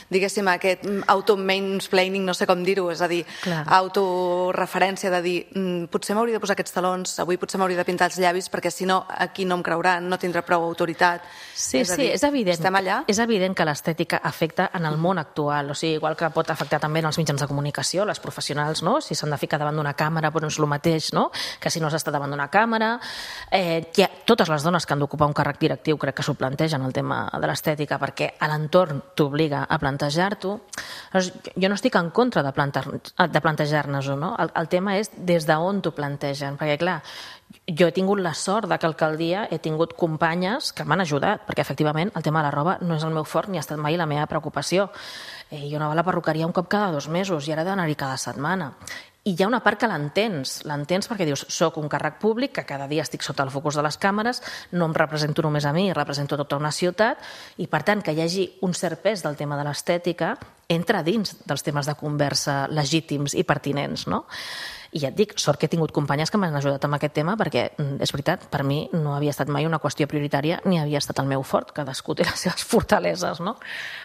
diguéssim, aquest auto-mansplaining, no sé com dir-ho, és a dir, autoreferència de dir potser m'hauria de posar aquests talons, avui potser m'hauria de pintar els llavis perquè si no aquí no em creuran, no tindrà prou autoritat. Sí, és evident. Estem allà? És evident que l'estètica afecta en el món actual, o sigui, igual que pot afectar també en els mitjans de comunicació, les professionals, no? Si s'han de ficar davant d'una càmera, però no és el mateix, no? Que si no s'està davant d'una càmera. Totes les dones que han d'ocupar un càrrec directiu crec que s'ho plantegen, el tema de l'estètica, perquè a l'entorn t'obliga a plantejar-t'ho. Jo no estic en contra de plantejar-nos-ho, no? El tema és des d'on t'ho plantegen, perquè clar, jo he tingut la sort que a l'alcaldia he tingut companyes que m'han ajudat, perquè efectivament el tema de la roba no és el meu fort ni ha estat mai la meva preocupació. Jo anava a la perruqueria un cop cada 2 mesos i ara he d'anar-hi cada setmana. I hi ha una part que l'entens perquè dius, soc un càrrec públic, que cada dia estic sota el focus de les càmeres, no em represento només a mi, represento tota una ciutat, i per tant que hi hagi un cert pes del tema de l'estètica entra dins dels temes de conversa legítims i pertinents, no? I ja et dic, sort que he tingut companyes que m'han ajudat amb aquest tema, perquè és veritat, per mi no havia estat mai una qüestió prioritària ni havia estat el meu fort, cadascú té les seves fortaleses, no?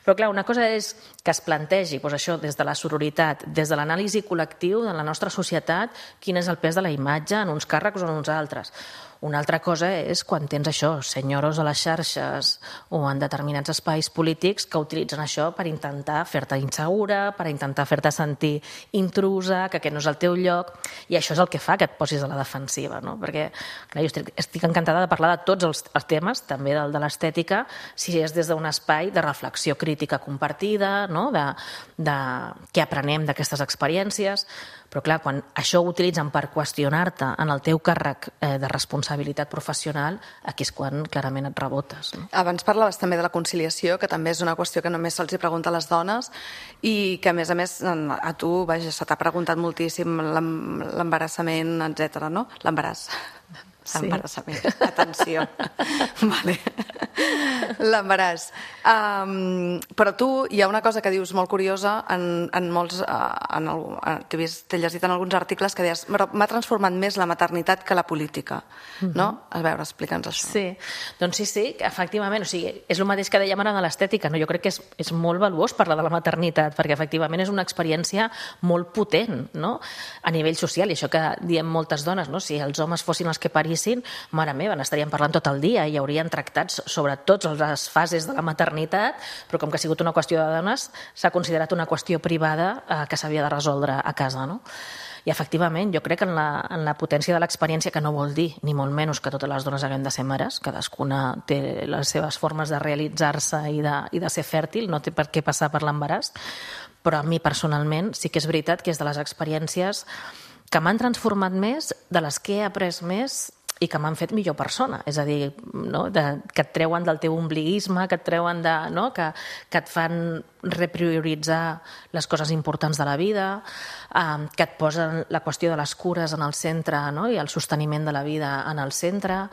Però clar, una cosa és que es plantegi això des de la sororitat, des de l'anàlisi col·lectiu de la nostra societat, quin és el pes de la imatge en uns càrrecs o en uns altres. Una altra cosa és quan tens això, senyoros a les xarxes o en determinats espais polítics que utilitzen això per intentar fer-te insegura, per intentar fer-te sentir intrusa, que aquest no és el teu lloc, i això és el que fa que et posis a la defensiva, no? Perquè clar, jo estic encantada de parlar de tots els temes, també del de l'estètica, si és des d'un espai de reflexió crítica compartida, no? De què aprenem d'aquestes experiències, però clar, quan això ho utilitzen per qüestionar-te en el teu càrrec de responsabilitat responsabilitat professional, aquí és quan clarament et rebotes. No? Abans parlaves també de la conciliació, que també és una qüestió que només se'ls pregunta a les dones i que, a més, a tu, vaja, se t'ha preguntat moltíssim l'embarassament, etc. no? L'embaràs. Sí. Embarassament. Atenció. Vale. L'embaràs. Però tu, hi ha una cosa que dius molt curiosa en molts... T'he llegit en alguns articles que deies m'ha transformat més la maternitat que la política. No? A veure, explica'ns això. Sí, doncs sí, efectivament. O sigui, és el mateix que dèiem ara de l'estètica. No? Jo crec que és molt valuós parlar de la maternitat, perquè efectivament és una experiència molt potent, no? A nivell social, i això que diem moltes dones, no? Si els homes fossin els que parissin, mare meva, n'estaríem parlant tot el dia i haurien tractats sobre totes les fases de la maternitat, però com que ha sigut una qüestió de dones, s'ha considerat una qüestió privada que s'havia de resoldre a casa, no? I efectivament, jo crec que en la potència de l'experiència, que no vol dir, ni molt menys, que totes les dones haguem de ser mares, cadascuna té les seves formes de realitzar-se i de ser fèrtil, no té per què passar per l'embaràs, però a mi personalment sí que és veritat que és de les experiències que m'han transformat més, de les que he après més i que m'han fet millor persona. És a dir, no? Que et treuen del teu ombliguisme, que et treuen de... No? Que et fan reprioritzar les coses importants de la vida, que et posen la qüestió de les cures en el centre, no? I el sosteniment de la vida en el centre.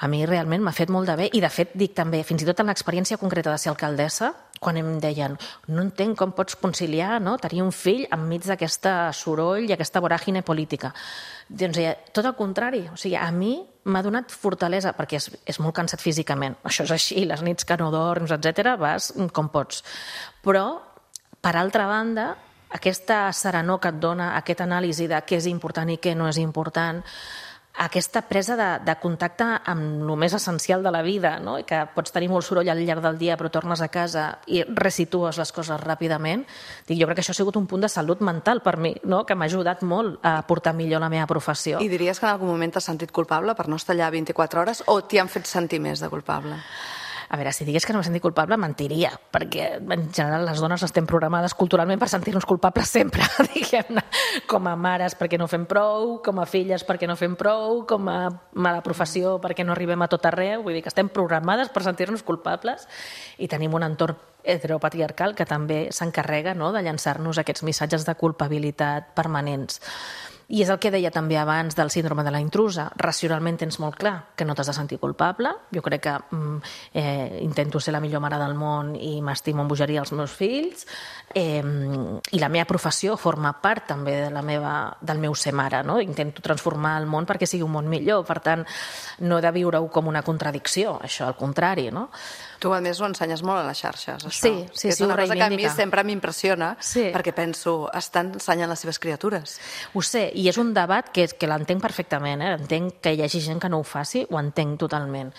A mi realment m'ha fet molt de bé i, de fet, dic també, fins i tot en l'experiència concreta de ser alcaldessa, quan em deien no entenc com pots conciliar, no? Tenir un fill enmig d'aquesta soroll i aquesta voràgine política. Doncs tot el contrari. O sigui, a mi m'ha donat fortalesa, perquè és molt cansat físicament. Això és així, les nits que no dorms, etc., vas com pots. Però, per altra banda, aquesta serenor que et dona, aquesta anàlisi de què és important i què no és important, aquesta presa de contacte amb el més essencial de la vida, no? I que pots tenir molt soroll al llarg del dia però tornes a casa i resitues les coses ràpidament. Jo crec que això ha sigut un punt de salut mental per mi, no? Que m'ha ajudat molt a portar millor la meva professió. I diries que en algun moment t'has sentit culpable per no estar allà 24 hores o t'hi han fet sentir més de culpable? A veure, si digués que no m'he sentit culpable, mentiria, perquè en general les dones estem programades culturalment per sentir-nos culpables sempre, diguem-ne, com a mares perquè no fem prou, com a filles perquè no fem prou, com a mala professió perquè no arribem a tot arreu, vull dir que estem programades per sentir-nos culpables i tenim un entorn heteropatriarcal que també s'encarrega, no?, de llançar-nos aquests missatges de culpabilitat permanents. I és el que deia també abans del síndrome de la intrusa. Racionalment tens molt clar que no t'has de sentir culpable. Jo crec que intento ser la millor mare del món i m'estimo amb bogeria els meus fills. I la meva professió forma part també del meu ser mare. No? Intento transformar el món perquè sigui un món millor. Per tant, no he de viure-ho com una contradicció, això, al contrari. No? Tu, a més, ho ensenyes molt a les xarxes, això. Sí, és una cosa que a mi sempre m'impressiona, sí. Perquè penso, estan ensenyant les seves criatures. Ho sé, i és un debat que l'entenc perfectament, entenc que hi hagi gent que no ho faci, ho entenc totalment.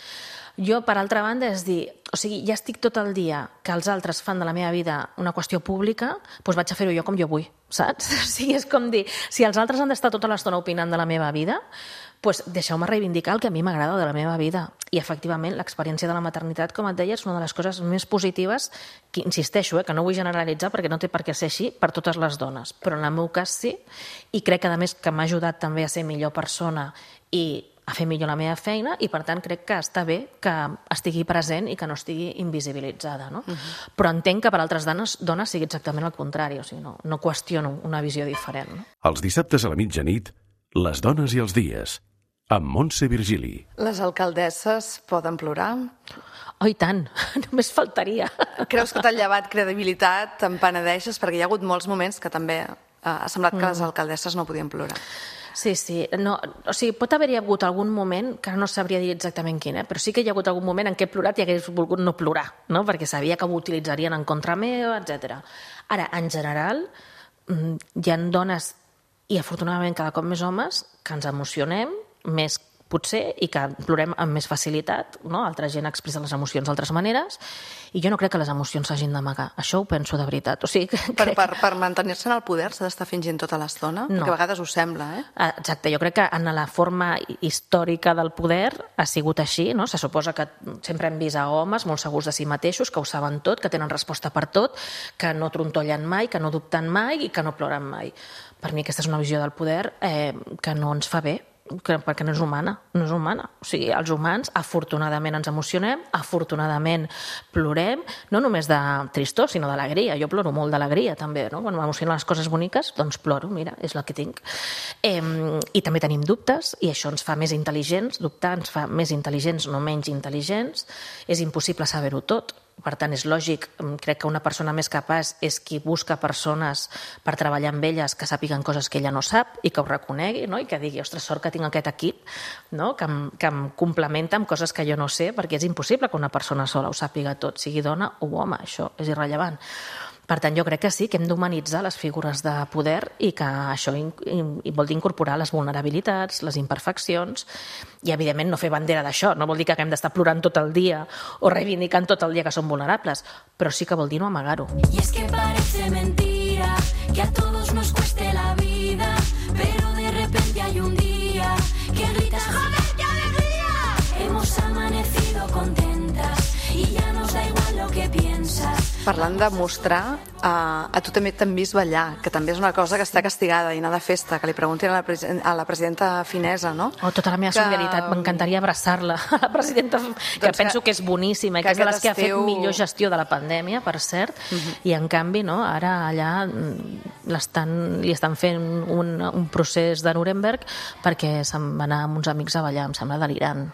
Jo, per altra banda, és dir, o sigui, ja estic tot el dia que els altres fan de la meva vida una qüestió pública, doncs vaig a fer-ho jo com jo vull, saps? O sigui, és com dir, si els altres han d'estar tota l'estona opinant de la meva vida, doncs deixeu-me reivindicar el que a mi m'agrada de la meva vida. I, efectivament, l'experiència de la maternitat, com et deia, és una de les coses més positives, que insisteixo, que no vull generalitzar perquè no té per què ser així per totes les dones, però en el meu cas sí, i crec que, a més, que m'ha ajudat també a ser millor persona i a fer millor la meva feina i, per tant, crec que està bé que estigui present i que no estigui invisibilitzada. No? Però entenc que per altres dones sigui exactament el contrari, o sigui, no qüestiono una visió diferent. No? Els dissabtes a la mitjanit, les dones i els dies, amb Montse Virgili. Les alcaldesses poden plorar? Oh, i tant, només faltaria. Creus que t'ha llevat credibilitat, te'n penedeixes? Perquè hi ha hagut molts moments que també ha semblat que les alcaldesses no podien plorar. Sí. No, o sigui, pot haver-hi hagut algun moment, que no sabria dir exactament quin, però sí que hi ha hagut algun moment en què he plorat i hagués volgut no plorar, no? Perquè sabia que ho utilitzarien en contra meva, etc. Ara, en general, hi ha dones, i afortunadament cada cop més homes, que ens emocionem més potser i que plorem amb més facilitat, no? Altra gent expressa les emocions d'altres maneres i jo no crec que les emocions s'hagin d'amagar. Això ho penso de veritat. O sigui, per mantenir-se en el poder s'ha d'estar fingint tota l'estona? No. Perquè a vegades ho sembla, Exacte, jo crec que en la forma històrica del poder ha sigut així, no? Se suposa que sempre hem vist a homes molt segurs de si mateixos, que ho saben tot, que tenen resposta per tot, que no trontollen mai, que no dubten mai i que no ploren mai. Per mi aquesta és una visió del poder que no ens fa bé. perquè no és humana, no és humana. O sigui, els humans, afortunadament ens emocionem, afortunadament plorem, no només de tristor, sinó d'alegria. Jo ploro molt d'alegria, també, no? Quan m'emocionen les coses boniques, doncs ploro, mira, és el que tinc. I també tenim dubtes, i això ens fa més intel·ligents, dubtar ens fa més intel·ligents, no menys intel·ligents. És impossible saber-ho tot. Per tant, és lògic, crec que una persona més capaç és qui busca persones per treballar amb elles que sàpiguen coses que ella no sap i que ho reconegui, no? I que digui, ostres, sort que tinc aquest equip, no? que em complementa amb coses que jo no sé, perquè és impossible que una persona sola ho sàpiga tot, sigui dona o home, això és irrellevant. Per tant, jo crec que sí, que hem d'humanitzar les figures de poder i que això vol dir incorporar les vulnerabilitats, les imperfeccions i, evidentment, no fer bandera d'això. No vol dir que haguem d'estar plorant tot el dia o reivindicant tot el dia que som vulnerables, però sí que vol dir no amagar-ho. Y es que parece mentira que a todos nos cueste la vida, pero de repente hay un día que gritas ¡joder, qué alegría! Hemos amanecido contentas y ya nos da igual lo que piensas. Parlant de mostrar, a tu també t'han vist ballar, que també és una cosa que està castigada i anar de festa, que li preguntin a la presidenta finesa, no? Tota la meva solidaritat, m'encantaria abraçar-la, a la presidenta, que penso que és boníssima i que és de les que ha fet millor gestió de la pandèmia, per cert, i en canvi, no, ara allà li estan fent un procés de Nuremberg perquè se'n va anar amb uns amics a ballar, em sembla delirant.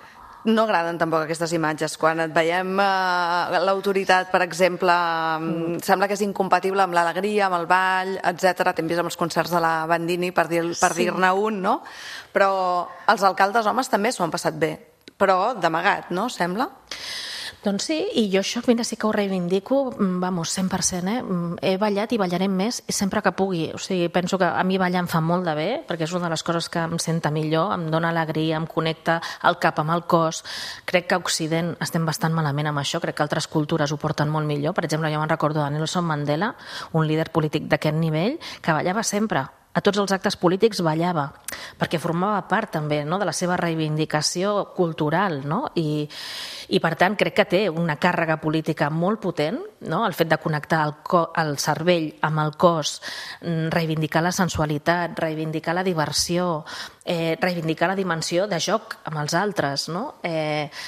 No agraden tampoc aquestes imatges. Quan et veiem l'autoritat, per exemple, sembla que és incompatible amb l'alegria, amb el ball, etc. T'hem vist amb els concerts de la Bandini, per dir-ne un, no? Però els alcaldes homes també s'ho han passat bé, però d'amagat, no? Sembla? Doncs sí, i jo això, mira, sí que ho reivindico, vamos, 100%, He ballat i ballaré més sempre que pugui. O sigui, penso que a mi ballar em fa molt de bé, perquè és una de les coses que em senta millor, em dona alegria, em connecta el cap amb el cos. Crec que a Occident estem bastant malament amb això, crec que altres cultures ho porten molt millor. Per exemple, jo me'n recordo de Nelson Mandela, un líder polític d'aquest nivell, que ballava sempre. A tots els actes polítics ballava, perquè formava part també, no, de la seva reivindicació cultural, no? I per tant crec que té una càrrega política molt potent, no? El fet de connectar el cervell amb el cos, reivindicar la sensualitat, reivindicar la diversió, reivindicar la dimensió de joc amb els altres, no?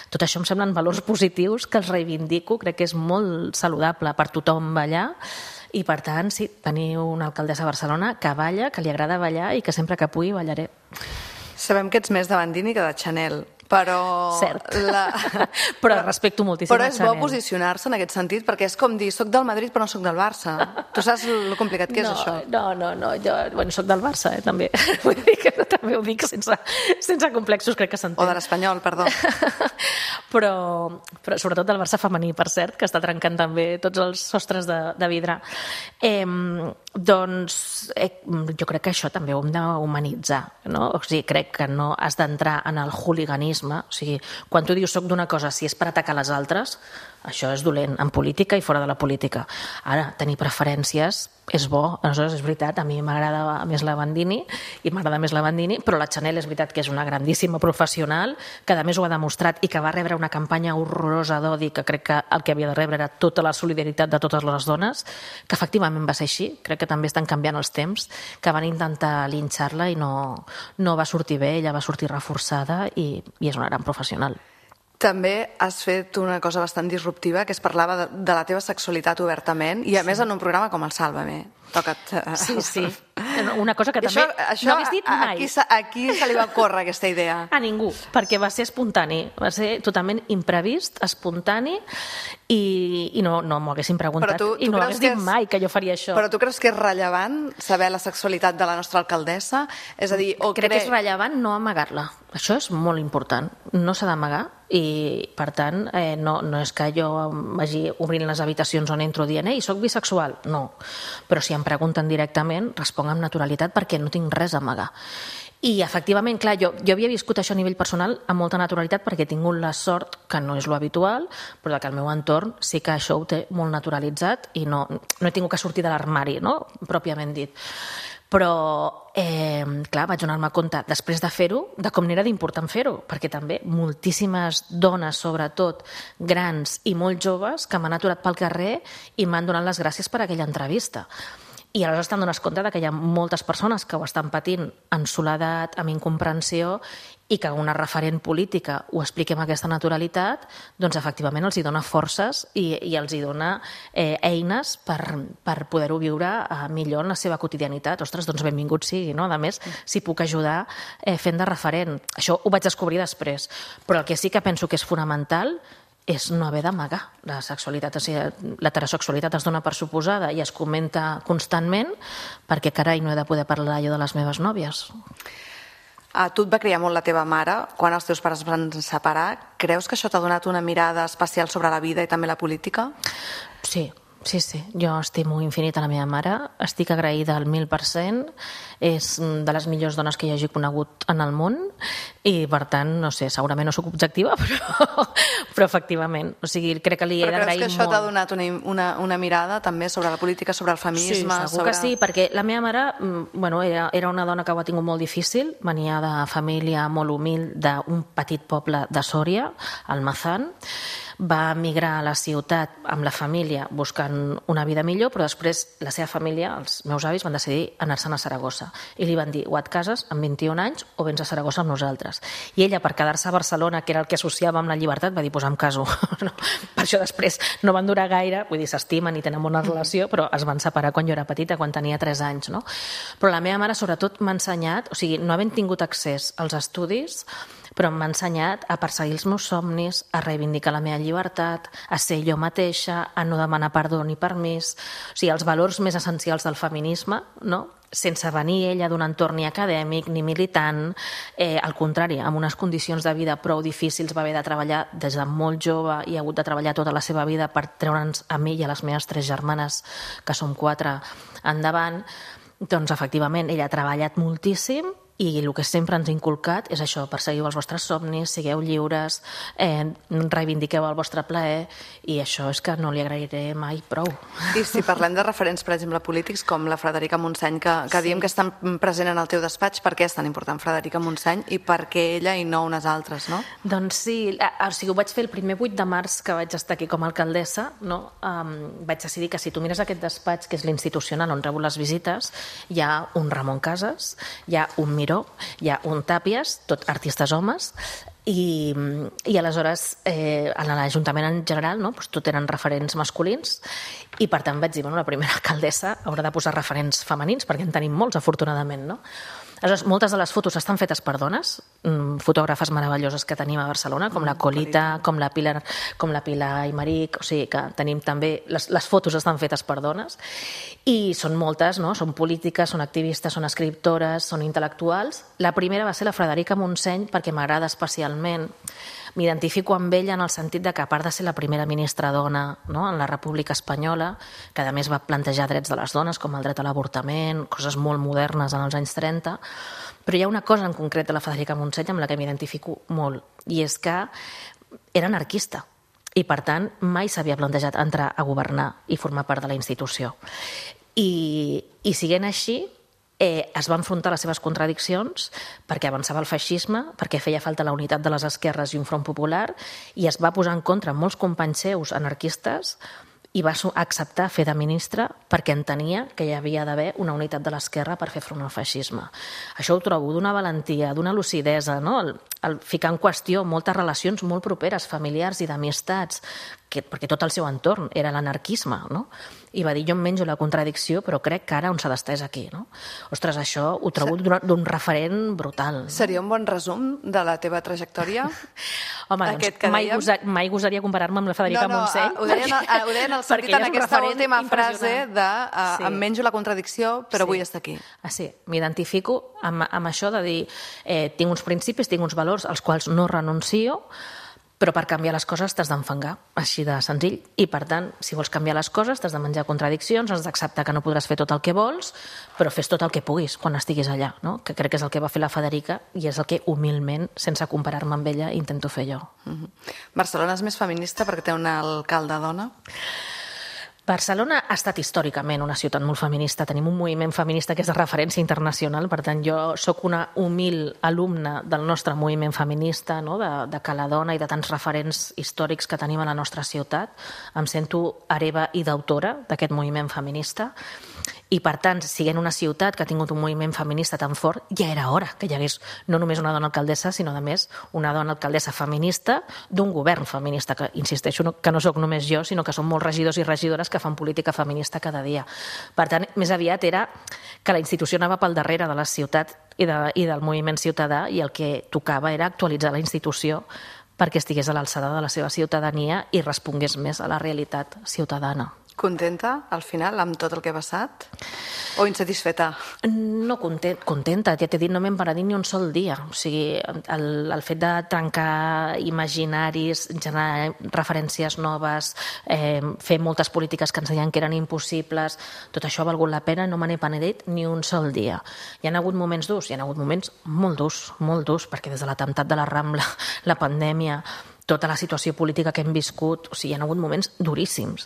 Tot això em semblen valors positius que els reivindico, crec que és molt saludable per tothom ballar. I, per tant, sí, tenir una alcaldessa a Barcelona que balla, que li agrada ballar i que sempre que pugui ballaré. Sabem que ets més de Bandini que de Chanel, però... Cert. Però respecto moltíssim Però a és Chanel. bo posicionar-se en aquest sentit, perquè és com dir, soc del Madrid però no soc del Barça. Tu saps el complicat que és això? No, jo soc del Barça, també. Vull dir que també ho dic sense complexos, crec que s'entén. O de l'Espanyol, perdó. Però sobretot del Barça femení, per cert, que està trencant també tots els sostres de vidre. Doncs jo crec que això també ho hem d'humanitzar, no? O sigui, crec que no has d'entrar en el hooliganisme. O sigui, quan tu dius soc d'una cosa, si és per atacar les altres, això és dolent, en política i fora de la política. Ara, tenir preferències és bo. Aleshores, és veritat, a mi m'agrada més la Bandini i m'agrada més la Bandini, però la Chanel és veritat que és una grandíssima professional, que a més ho ha demostrat i que va rebre una campanya horrorosa d'odi, que crec que el que havia de rebre era tota la solidaritat de totes les dones, que efectivament va ser així. Crec que també estan canviant els temps, que van intentar linxar-la i no va sortir bé, ella va sortir reforçada i és una gran professional. També has fet una cosa bastant disruptiva, que és parlava de la teva sexualitat obertament, i a més en un programa com el Sálvame. Toca't. Sí. Una cosa que també no hagués dit mai. A qui se li va córrer aquesta idea? A ningú, perquè va ser espontani, va ser totalment imprevist, espontani, i no m'ho haguessin preguntat, i no hagués dit mai que jo faria això. Però tu creus que és rellevant saber la sexualitat de la nostra alcaldessa? És a dir, crec que és rellevant no amagar-la. Això és molt important. No s'ha d'amagar i, per tant, no és que jo vagi obrint les habitacions on entro dient soc bisexual. No. Però si em pregunten directament, responc amb naturalitat perquè no tinc res a amagar. I, efectivament, clar, jo havia viscut això a nivell personal amb molta naturalitat perquè he tingut la sort, que no és lo habitual, però que el meu entorn sí que això ho té molt naturalitzat i no he tingut que sortir de l'armari, no? Pròpiament dit. Però, clar, vaig donar-me compte, després de fer-ho, de com n'era d'important fer-ho, perquè també moltíssimes dones, sobretot grans i molt joves, que m'han aturat pel carrer i m'han donat les gràcies per aquella entrevista. I aleshores t'en dones compte que hi ha moltes persones que ho estan patint en soledat, amb incomprensió, i que una referent política ho expliqui amb aquesta naturalitat, doncs efectivament els hi dona forces i els hi dona eines per poder-ho viure millor en la seva quotidianitat. Ostres, doncs benvingut sigui, no? A més, si puc ajudar fent de referent. Això ho vaig descobrir després. Però el que sí que penso que és fonamental és no haver d'amagar la sexualitat. O sigui, l'heterosexualitat es dona per suposada i es comenta constantment perquè, carai, no he de poder parlar jo de les meves nòvies. A tu et va criar molt la teva mare quan els teus pares es van separar. Creus que això t'ha donat una mirada especial sobre la vida i també la política? Sí. Jo estimo infinit a la meva mare, estic agraïda al 1000%, és de les millors dones que hi hagi conegut en el món i, per tant, no sé, segurament no soc objectiva, però efectivament, o sigui, crec que li he d'agrair molt. Però creus que això t'ha donat una mirada també sobre la política, sobre el feminisme? Sí, segur que sí, perquè la meva mare era una dona que ho ha tingut molt difícil, venia de família molt humil d'un petit poble de Sòria, Almazán, va emigrar a la ciutat amb la família buscant una vida millor, però després la seva família, els meus avis, van decidir anar-se'n a Saragossa. I li van dir, o et cases amb 21 anys o vens a Saragossa amb nosaltres. I ella, per quedar-se a Barcelona, que era el que associava amb la llibertat, va dir, pues em caso. No. Per això després no van durar gaire, vull dir, s'estimen i tenen bona relació, però es van separar quan jo era petita, quan tenia 3 anys. No? Però la meva mare, sobretot, m'ha ensenyat, o sigui, no havent tingut accés als estudis, però m'ha ensenyat a perseguir els meus somnis, a reivindicar la meva llibertat, a ser jo mateixa, a no demanar perdó ni permís. O sigui, els valors més essencials del feminisme, no? Sense venir ella d'un entorn ni acadèmic ni militant, al contrari, amb unes condicions de vida prou difícils, va haver de treballar des de molt jove i ha hagut de treballar tota la seva vida per treure'ns a mi i a les meves 3 germanes, que som 4, endavant. Doncs, efectivament, ella ha treballat moltíssim i el que sempre ens ha inculcat és això, perseguiu els vostres somnis, sigueu lliures, reivindiqueu el vostre plaer, i això és que no li agrairé mai prou. I si parlem de referents, per exemple, polítics, com la Frederica Montseny, que diem que és tan present en el teu despatx, per què és tan important Frederica Montseny i per què ella i no unes altres, no? Doncs sí, o sigui, ho vaig fer el primer 8 de març que vaig estar aquí com a alcaldessa, no? Vaig decidir que si tu mires aquest despatx, que és l'institucional on rebo les visites, hi ha un Ramon Casas, hi ha un Miró, hi ha un Tàpies, tot artistes homes, i aleshores a l'Ajuntament en general, no? Doncs tot eren referents masculins, i per tant vaig dir, bueno, la primera alcaldessa haurà de posar referents femenins, perquè en tenim molts, afortunadament, no? Aleshores, moltes de les fotos estan fetes per dones, fotògrafes meravelloses que tenim a Barcelona, com la Colita, com la Pilar Aymeric, o sigui que tenim també, les fotos estan fetes per dones, i són moltes, no? Són polítiques, són activistes, són escriptores, són intel·lectuals. La primera va ser la Frederica Montseny, perquè m'agrada especialment. M'identifico amb ella en el sentit de que, a part de ser la primera ministra dona, no?, en la República Espanyola, que a més va plantejar drets de les dones, com el dret a l'avortament, coses molt modernes en els anys 30, però hi ha una cosa en concret de la Frederica Montseny amb la que m'identifico molt, i és que era anarquista, i per tant mai s'havia plantejat entrar a governar i formar part de la institució. I siguent així, es va enfrontar a les seves contradiccions perquè avançava el feixisme, perquè feia falta la unitat de les esquerres i un front popular, i es va posar en contra molts companys seus anarquistes i va acceptar fer de ministra perquè entenia que hi havia d'haver una unitat de l'esquerra per fer front al feixisme. Això ho trobo d'una valentia, d'una lucidesa, no? El ficar en qüestió moltes relacions molt properes, familiars i d'amistats, perquè tot el seu entorn era l'anarquisme, no? I va dir, jo em menjo la contradicció, però crec que ara on s'ha d'estar és aquí, no? Ostres, això ho trobo d'un referent brutal. Seria un bon resum de la teva trajectòria? Home, doncs mai gosaria comparar-me amb la Frederica Montseny. Ho deia en el sentit, en aquesta última frase de em menjo la contradicció, però vull estar aquí. Sí, m'identifico amb això de dir tinc uns principis, tinc uns valors als quals no renuncio, però per canviar les coses t'has d'enfangar, així de senzill. I, per tant, si vols canviar les coses, t'has de menjar contradiccions, has d'acceptar que no podràs fer tot el que vols, però fes tot el que puguis quan estiguis allà, no? Que crec que és el que va fer la Federica i és el que, humilment, sense comparar-me amb ella, intento fer jo. Barcelona és més feminista perquè té una alcalde dona? Barcelona ha estat històricament una ciutat molt feminista. Tenim un moviment feminista que és de referència internacional, per tant, jo sóc una humil alumna del nostre moviment feminista, no? de Cala Dona i de tants referents històrics que tenim a la nostra ciutat. Em sento hereva i d'autora d'aquest moviment feminista. I, per tant, siguent una ciutat que ha tingut un moviment feminista tan fort, ja era hora que hi hagués no només una dona alcaldessa, sinó, a més, una dona alcaldessa feminista d'un govern feminista, que, insisteixo, que no sóc només jo, sinó que són molts regidors i regidores que fan política feminista cada dia. Per tant, més aviat era que la institució anava pel darrere de la ciutat i del moviment ciutadà, i el que tocava era actualitzar la institució perquè estigués a l'alçada de la seva ciutadania i respongués més a la realitat ciutadana. Contenta, al final, amb tot el que ha passat? O insatisfeta? No, contenta. Ja t'he dit, no m'hem paradit ni un sol dia. O sigui, el fet de trencar imaginaris, generar referències noves, fer moltes polítiques que ens deien que eren impossibles, tot això ha valgut la pena, no me n'he penedit ni un sol dia. Hi ha hagut moments durs, hi ha hagut moments molt durs, perquè des de l'atemptat de la Rambla, la pandèmia, tota la situació política que hem viscut, o sigui, hi ha hagut moments duríssims.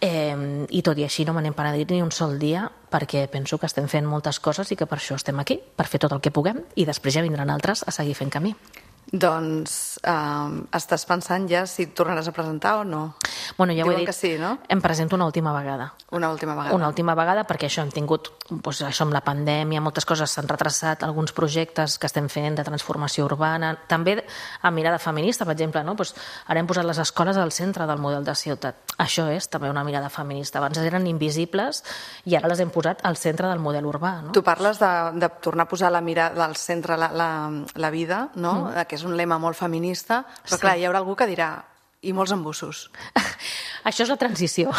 I tot i així no me n'hem penedit ni un sol dia, perquè penso que estem fent moltes coses i que per això estem aquí, per fer tot el que puguem, i després ja vindran altres a seguir fent camí. Doncs estàs pensant ja si tornaràs a presentar o no? Bueno, ja ho he Diuen dit, que sí, no? em presento una última vegada. Una última vegada. Una última vegada, perquè això hem tingut, doncs, això amb la pandèmia, moltes coses s'han retrasat, alguns projectes que estem fent de transformació urbana, també amb mirada feminista, per exemple, no? Doncs ara hem posat les escoles al centre del model de ciutat. Això és també una mirada feminista. Abans eren invisibles i ara les hem posat al centre del model urbà. No? Tu parles de tornar a posar la mirada al centre la vida, no? Que és un lema molt feminista, però clar, hi haurà algú que dirà i molts embussos. Això és la transició.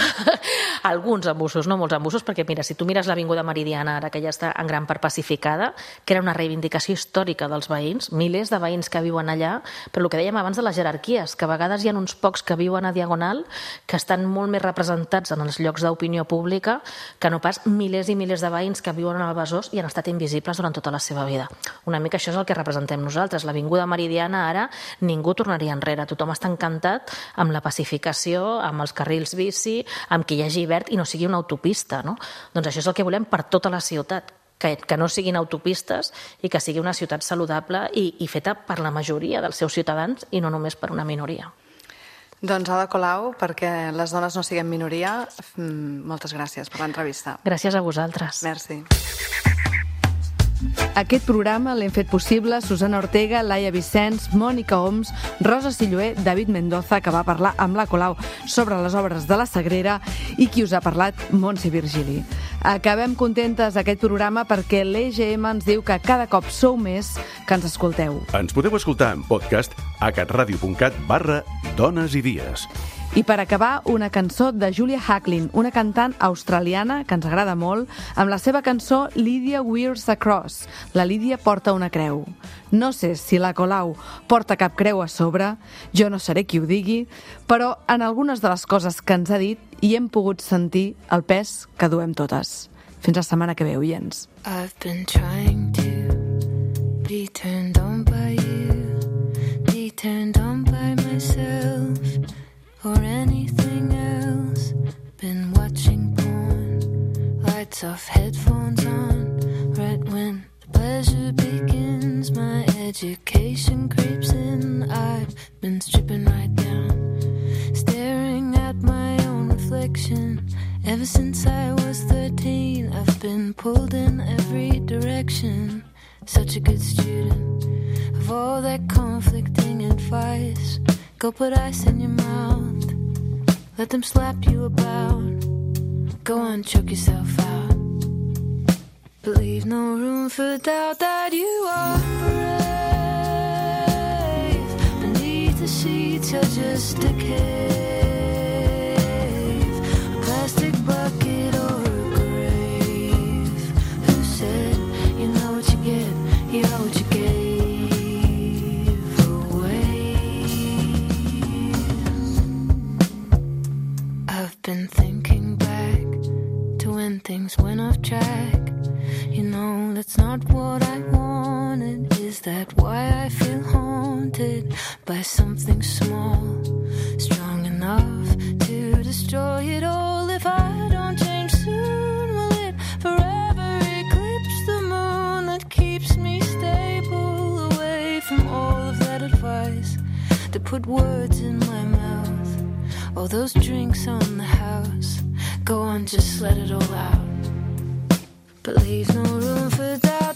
Alguns embussos, no molts embussos, perquè mira, si tu mires l'Avinguda Meridiana, ara que ja està en gran part pacificada, que era una reivindicació històrica dels veïns, milers de veïns que viuen allà, però el que dèiem abans de les jerarquies, que a vegades hi ha uns pocs que viuen a Diagonal que estan molt més representats en els llocs d'opinió pública que no pas milers i milers de veïns que viuen al Besòs i han estat invisibles durant tota la seva vida. Una mica això és el que representem nosaltres. L'Avinguda Meridiana ara ningú tornaria enrere. Tothom està encantat amb la pacificació, amb els carrils bici, amb que hi hagi verd i no sigui una autopista, no? Doncs això és el que volem per tota la ciutat, que no siguin autopistes i que sigui una ciutat saludable i feta per la majoria dels seus ciutadans i no només per una minoria. Doncs Ada Colau, perquè les dones no siguem minoria, moltes gràcies per l'entrevista. Gràcies a vosaltres. Merci. Aquest programa l'hem fet possible Susana Ortega, Laia Vicenç, Mònica Oms, Rosa Silloé, David Mendoza, que va parlar amb la Colau sobre les obres de la Sagrera, i qui us ha parlat, Montse Virgili. Acabem contentes aquest programa perquè l'EGM ens diu que cada cop sou més que ens escolteu. Ens podeu escoltar en podcast a catradio.cat/dones i dies. I per acabar, una cançó de Julia Hacklin, una cantant australiana que ens agrada molt, amb la seva cançó Lydia Wears a Cross. La Lídia porta una creu. No sé si la Colau porta cap creu a sobre, jo no seré qui ho digui, però en algunes de les coses que ens ha dit hi hem pogut sentir el pes que duem totes. Fins la setmana que ve, oients. I've been trying to be turned on by you, be turned on by myself, or anything else. Been watching porn, lights off, headphones on, right when the pleasure begins. My education creeps in, I've been stripping right down, staring at my own reflection. Ever since I was 13, I've been pulled in every direction. Such a good student of all that conflicting advice. Go put ice in your mouth, let them slap you about. Go on, choke yourself out, but leave no room for doubt that you are brave. Beneath the sheets you're just a cave, a plastic bucket or a grave. Who said you know what you get, you know what you get? Been thinking back to when things went off track. You know that's not what I wanted. Is that why I feel haunted by something small, strong enough to destroy it all if I all those drinks on the house. Go on, just let it all out. But leave no room for doubt.